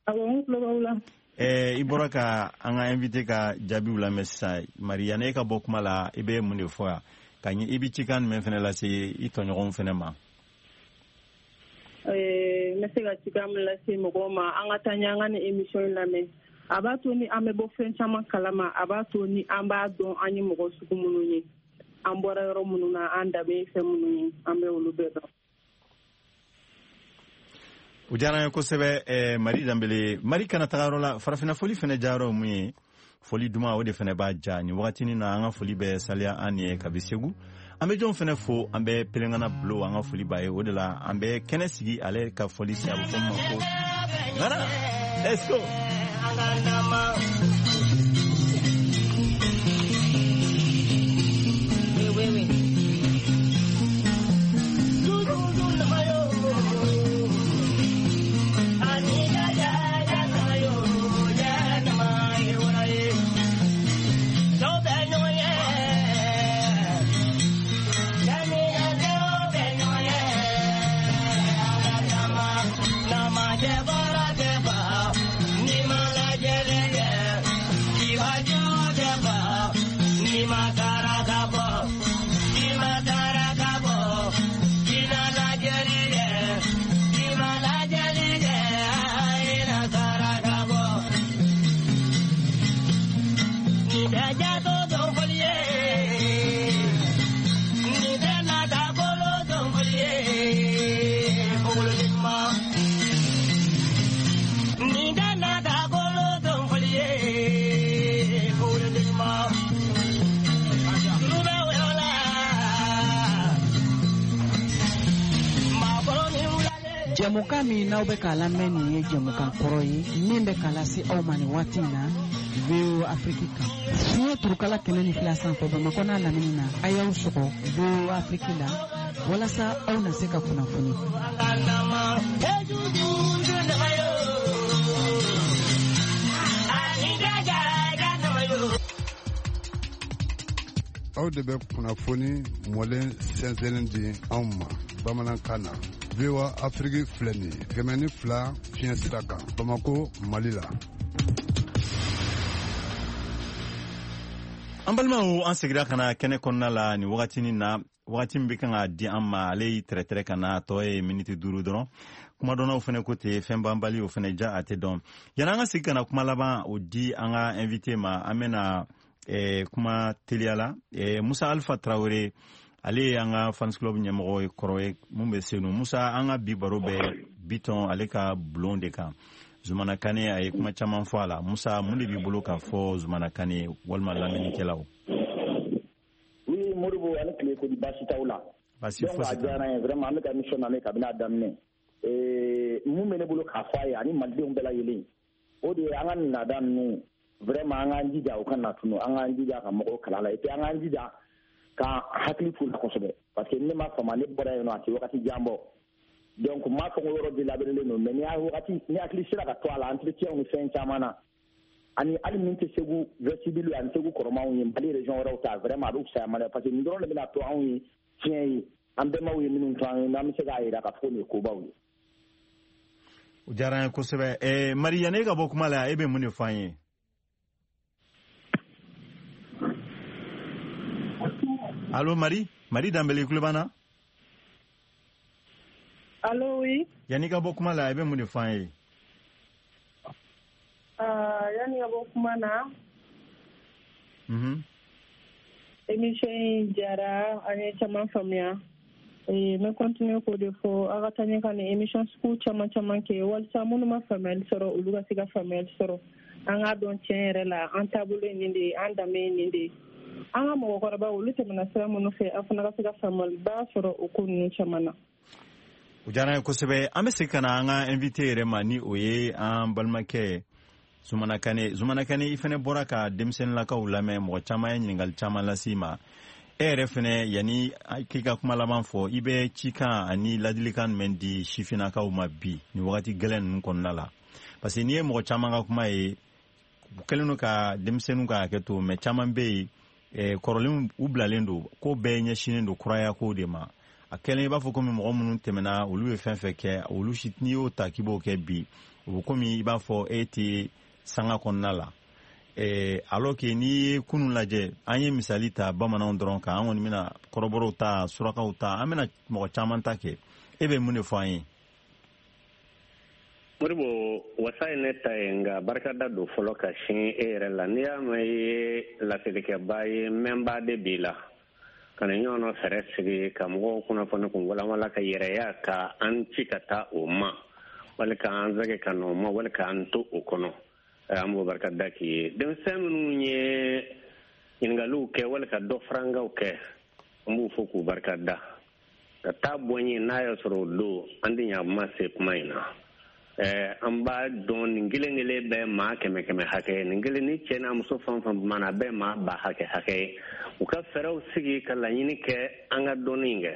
Awɔ, n tulo b'aw la. I bɔra ka an ka invité ka jaabiw lamɛn sisan. Mari, yanni e ka bɔ kuma la, i bɛ mun de fɔ yan ka ɲɛ? I bɛ cikan jumɛn fɛnɛ lase i tɔɲɔgɔnw fɛnɛ ma? N bɛ se ka cikan min lase mɔgɔw ma, an ka taa ɲɛ, an ka nin émission in lamɛn. A b'a to ni an bɛ bɔ fɛn caman kalama, a b'a to ni an b'a dɔn an ye mɔgɔ sugu minnu ye, an bɔra yɔrɔ minnu na, an danbe ye fɛn minnu ye, an bɛ olu bɛɛ dɔn. O diyara an ye kosɛbɛ, Mari Danbele. Mari kana taga yɔrɔ la. Farafinna foli fɛnɛ jayɔrɔ ye mun ye? Foli duman, o de fɛnɛ b'a ja nin wagatinin na. An ka foli bɛ Saliya an ye kabi Segu. An bɛ jɔn fɛnɛ fo? An bɛ Pelengana Bulo, an ka foli b'a ye. O de la an bɛ kɛnɛ sigi ale ka foli sen, a bɛ fɔ min ma ko Ghana. Let's go. Oui, oui. Jɛmukan min n'aw bɛ k'a lamɛn nin ye jɛmukan kɔrɔ ye min bɛ k'a lase aw ma nin waati in na VOA Afrique kan, fiɲɛ turukala 102 sanfɛ, Bamakɔ n'a lamini na. A y'aw sɔgɔ VOA Afrique la walasa aw na se ka kunnafoni. Aw de bɛ kunnafoni mɔlen sɛnsɛnnen di anw ma bamanankan na. VOA Afrique filɛ nin ye, 102 fiɲɛ sira kan, Bamako, Mali la. An balimaw, an segira ka na kɛnɛ kɔnɔna la nin wagatinin na. Wagati min bɛ kan ka di an ma, ale y'i tɛrɛtɛrɛ ka na, a tɔ ye miniti 5 dɔrɔn. Kumadɔnnaw fɛnɛ ko ten, fɛn banbali o fɛnɛ ja a tɛ dɔn. Yanni an ka segin ka na kuma laban o di an ka invité ma, an bɛna kuma teliya la. Musa Alpha Tarawele, ale ye an ka fans club ɲɛmɔgɔ ye kɔrɔ ye mun bɛ Senu. Musa, an ka bi baro bɛ Bitɔn ale ka bulon de kan. Zumana Kane, a ye kuma caman fɔ a la. Musa, mun de b'i bolo k'a fɔ Zumana Kane walima lamɛnnikɛlaw? Oui, Modibo, ani tile. Ko di, baasi t'aw la? Baasi Donc fosi a t'a. Diyara n ye vraiment. An bɛ ka émission lamɛn kabini a daminɛ. Mun bɛ ne bolo k'a fɔ a ye ani malidenw bɛɛ lajɛlen, o de ye an ka nin laada ninnu, vraiment, an k'an jija o kana na tunu. An k'an jija ka mɔgɔw kalan la, et puis an k'an jija ka hakili t'u la kosɛbɛ, parce que ne ma fama, ne bɔra yen nɔ, a tɛ wagati jan bɔ. Donc n m'a fɔ ko yɔrɔ délabrelen don, mais ni y'a wagati ni hakili sera ka to a la, entretien ni fɛn caman na, ani hali min tɛ Segu vestibule ani Segu kɔrɔmanw ye, Mali région wɛrɛw ta, vraiment a bɛ fisaya Mali, parce que nin dɔrɔn de bɛna to anw ye tiɲɛ ye, an bɛnbaw ye minnu to an ye, n'an bɛ se k'a jira k'a fɔ ko nin ye kobaw ye. O diyara an ye kosɛbɛ. Mari, yanni e ka bɔ kuma la, e bɛ mun de fɔ an ye? Allo Mari, Mari Danbele, i tulo b'an na? Allo, oui. Yanni ka bɔ kuma la, i bɛ mun de fɔ an ye? Yanni ka bɔ kuma na, émission in diyara an ye, caman faamuya. N bɛ continuer k'o de fɔ, aw ka taa ɲɛ ka nin émission sugu caman caman kɛ, walasa minnu ma faamuyali sɔrɔ, olu ka se ka faamuyali sɔrɔ. An k'a dɔn tiɲɛ yɛrɛ la, an taabolo ye nin de ye, an danbe ye nin de ye. An ka mɔgɔkɔrɔbaw, olu tɛmɛna sira minnu fɛ, an fana ka se ka faamuyaliba sɔrɔ o ko ninnu caman na. O diyara an ye kosɛbɛ. An bɛ segin ka na an ka invité yɛrɛ ma, ni o ye an balimakɛ Zumana Kane. Zumana Kane, i fɛnɛ bɔra ka denmisɛnninlakaw lamɛn, mɔgɔ caman ye ɲininkali caman lase i ma. E yɛrɛ fɛnɛ, yanni k'i ka kuma laban fɔ, i bɛ cikan ani ladilikan jumɛn di sifinnakaw ma bi nin wagati gɛlɛn ninnu kɔnɔna la? Parce que n'i ye mɔgɔ caman ka kuma ye, u kɛlen don ka denmisɛnninw ka hakɛ to, mais caman bɛ yen, kɔrɔlenw u bilalen don, ko bɛɛ ɲɛsinnen don kuraya kow de ma. A kɛlen i b'a fɔ komi mɔgɔ minnu tɛmɛna, olu ye fɛn fɛn kɛ, olu si, n'i y'o ta k'i b'o kɛ bi, o bɛ komi i b'a fɔ e tɛ sanga kɔnɔna la. Alors que n'i ye kunun lajɛ, an ye misali ta bamananw dɔrɔn kan, an kɔni bɛna kɔrɔbɔrɔw ta, surakaw ta, an bɛna mɔgɔ caman ta kɛ. E bɛ mun de fɔ an ye? Modibo, wasa ye ne ta ye, nka barikada don fɔlɔ ka sin e yɛrɛ la. N'i y'a mɛn i ye laselikɛba ye, mɛnba de b'i la ka na ɲɔgɔn fɛɛrɛ sigi ka mɔgɔw kunnafoni kun walawala ka yɛrɛya ka an ci ka taa o ma, wali k'an sɛgɛ ka na o ma, wali k'an to o kɔnɔ. An b'o barika da k'i ye. Denmisɛn minnu ye ɲininkaliw kɛ wali ka dɔ farankaw kɛ, an b'u fo k'u barika da ka taa bɔ n ye. N'a y'a sɔrɔ o don an tɛ ɲa ma se kuma in na. An b'a dɔn nin kelen kelen bɛɛ maa kɛmɛ kɛmɛ hakɛ, nin kelen ni cɛ n'a muso fɛn fɛn mana, a bɛɛ maa ba hakɛ hakɛ ye. U ka fɛɛrɛw sigi ka laɲini kɛ an ka dɔnni in kɛ,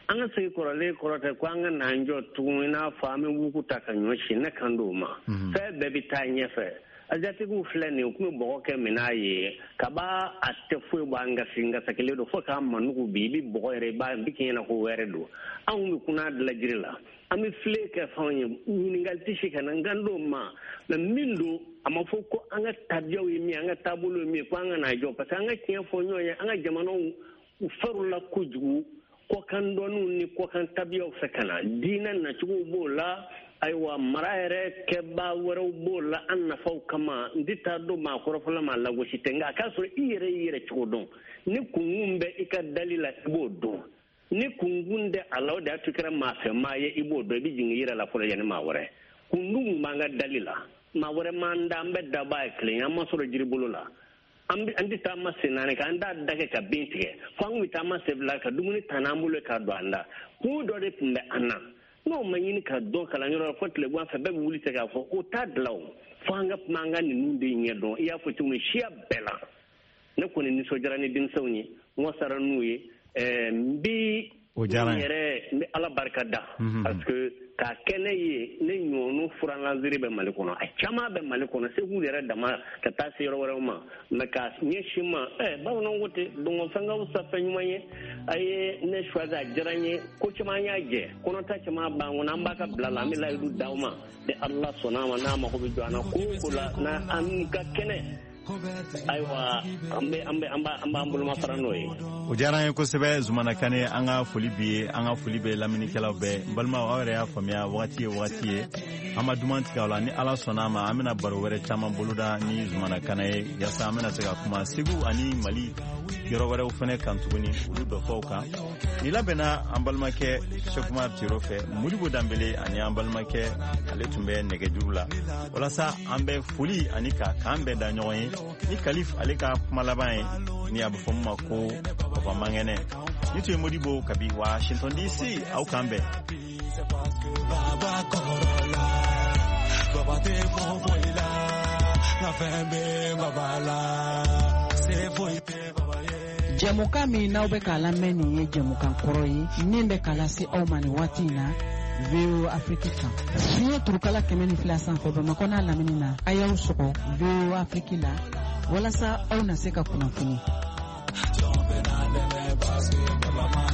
an ka sigi kɔrɔlen kɔrɔ tɛ ko an ka n'an jɔ tugun i n'a fɔ an bɛ wugu ta ka ɲɔ si. Ne kan d'o ma, fɛn bɛɛ bɛ taa ɲɛfɛ. Asiatikiw filɛ nin ye, u tun bɛ bɔgɔ kɛ minɛn ye kaba, a tɛ foyi bɔ an gasi ngasakelen don fo k'a manugu. Bi i bɛ bɔgɔ yɛrɛ, i b'a bi k'i ɲɛna ko wɛrɛ don. Anw bɛ kunna dilan jiri la, an bɛ filen kɛ fɛnw ye, ɲininkali tɛ se ka na n kan d'o ma. Mais min don, a ma fɔ ko an ka tabiyaw ye min ye, an ka taabolo ye min ye, ko an ka n'a jɔ, parce que an ka tiɲɛ fɔ ɲɔgɔn ye, an ka jamanaw u farila kojugu kɔkan dɔnniw ni kɔkan tabiyaw fɛ ka na. Diinɛ nacogow b'o la, ayiwa, mara yɛrɛ kɛbaa wɛrɛw b'o la an nafaw kama. N tɛ taa don maa kɔrɔfɔla ma, lagosi tɛ, nka a k'a sɔrɔ i yɛrɛ y'i yɛrɛ cogo dɔn. Ni kunkun bɛ i ka dali la, i b'o dɔn. Ni kunkun tɛ a la, o de y'a to i kɛra maa fɛ maa ye, i b'o dɔn. I bɛ jigin i yɛrɛ la fɔlɔ yanni maa wɛrɛ. Kundun b'an ka dali la, maa wɛrɛ m'an da, an bɛɛ dabaa ye kelen ye. An ma sɔrɔ jiri bolo la, an tɛ taama sen naani kan, an t'a da kɛ ka bin tigɛ, fo an kun bɛ taama sen fila ka dumuni ta n'an bolo k'a don an da. Kun dɔ de tun bɛ an na, n'o ma ɲini ka dɔn kalanyɔrɔ la fo tilegan fɛ, bɛɛ bɛ wuli tigɛ k'a fɔ o t'a dilan o. Fo an ka kuma, an ka ninnu de ɲɛ dɔn. I y'a fɔ cogo min, siya bɛɛ la, ne kɔni nisɔndiyara ni denmisɛnw ye, n wasara n'u ye. N bi yɛrɛ, n bɛ Ala barika da, parce que k'a kɛ ne ye, ne ɲɔgɔn furankansiri bɛ Mali kɔnɔ, a caman bɛ Mali kɔnɔ, Segu yɛrɛ dama ka taa se yɔrɔ wɛrɛw ma, mais k'a ɲɛsin ma, bamananw ko ten, dɔngɔfɛn ka fisa fɛn ɲuman ye. A ye ne choisi, a diyara n ye. Ko caman y'a jɛ, kɔnɔta caman b'an kɔnɔ, an b'a ka bila la, an bɛ layidu d'aw ma ni Ala sɔnna a ma. N'a mago bɛ jɔ an na ko o ko la, n'an ka kɛnɛ, ayiwa, an bɛ an bɛ an b'an b'an boloma fara n'o ye. O diyara an ye kosɛbɛ, Zumana Kane. An ka foli b'i ye, an ka foli bɛ lamɛnnikɛlaw bɛɛ. N balimaw, aw yɛrɛ y'a faamuya, wagati ye wagati ye, an ma duman tigɛ aw la. Ni Ala sɔnna a ma, an bɛna baro wɛrɛ caman boloda ni Zumana Kane ye, yaasa an bɛna se ka kuma Segu ani Mali yɔrɔ wɛrɛw fɛnɛ kan tuguni, olu dɔfɔw kan. Ni labɛnna an balimakɛ Sekumar Tiro fɛ, Modibo Danbele ani an balimakɛ ale tun bɛ nɛgɛjuru la, walasa an bɛ foli ani ka k'an bɛɛ da ɲɔgɔn ye ni Kalif ale ka kuma laban ye, ni a bɛ fɔ min ma ko Papa Mankɛnɛ. Ni tun ye Modibo kabi Washington DC, aw k'an bɛn. Baba tɛ foyi la, nka fɛn bɛ baba la, se foyi tɛ baba ye. Jɛmukan min n'aw bɛ k'a lamɛn, nin ye jɛmukan kɔrɔ ye min bɛ k'a lase aw ma nin waati in na VOA Afrique kan, fiɲɛ turukala 102 sanfɛ, Bamakɔ n'a lamini na. A y'aw sɔgɔ VOA Afrique la walasa aw na se ka kunnafoni. Jɔn bɛ na dɛmɛ parce que baba ma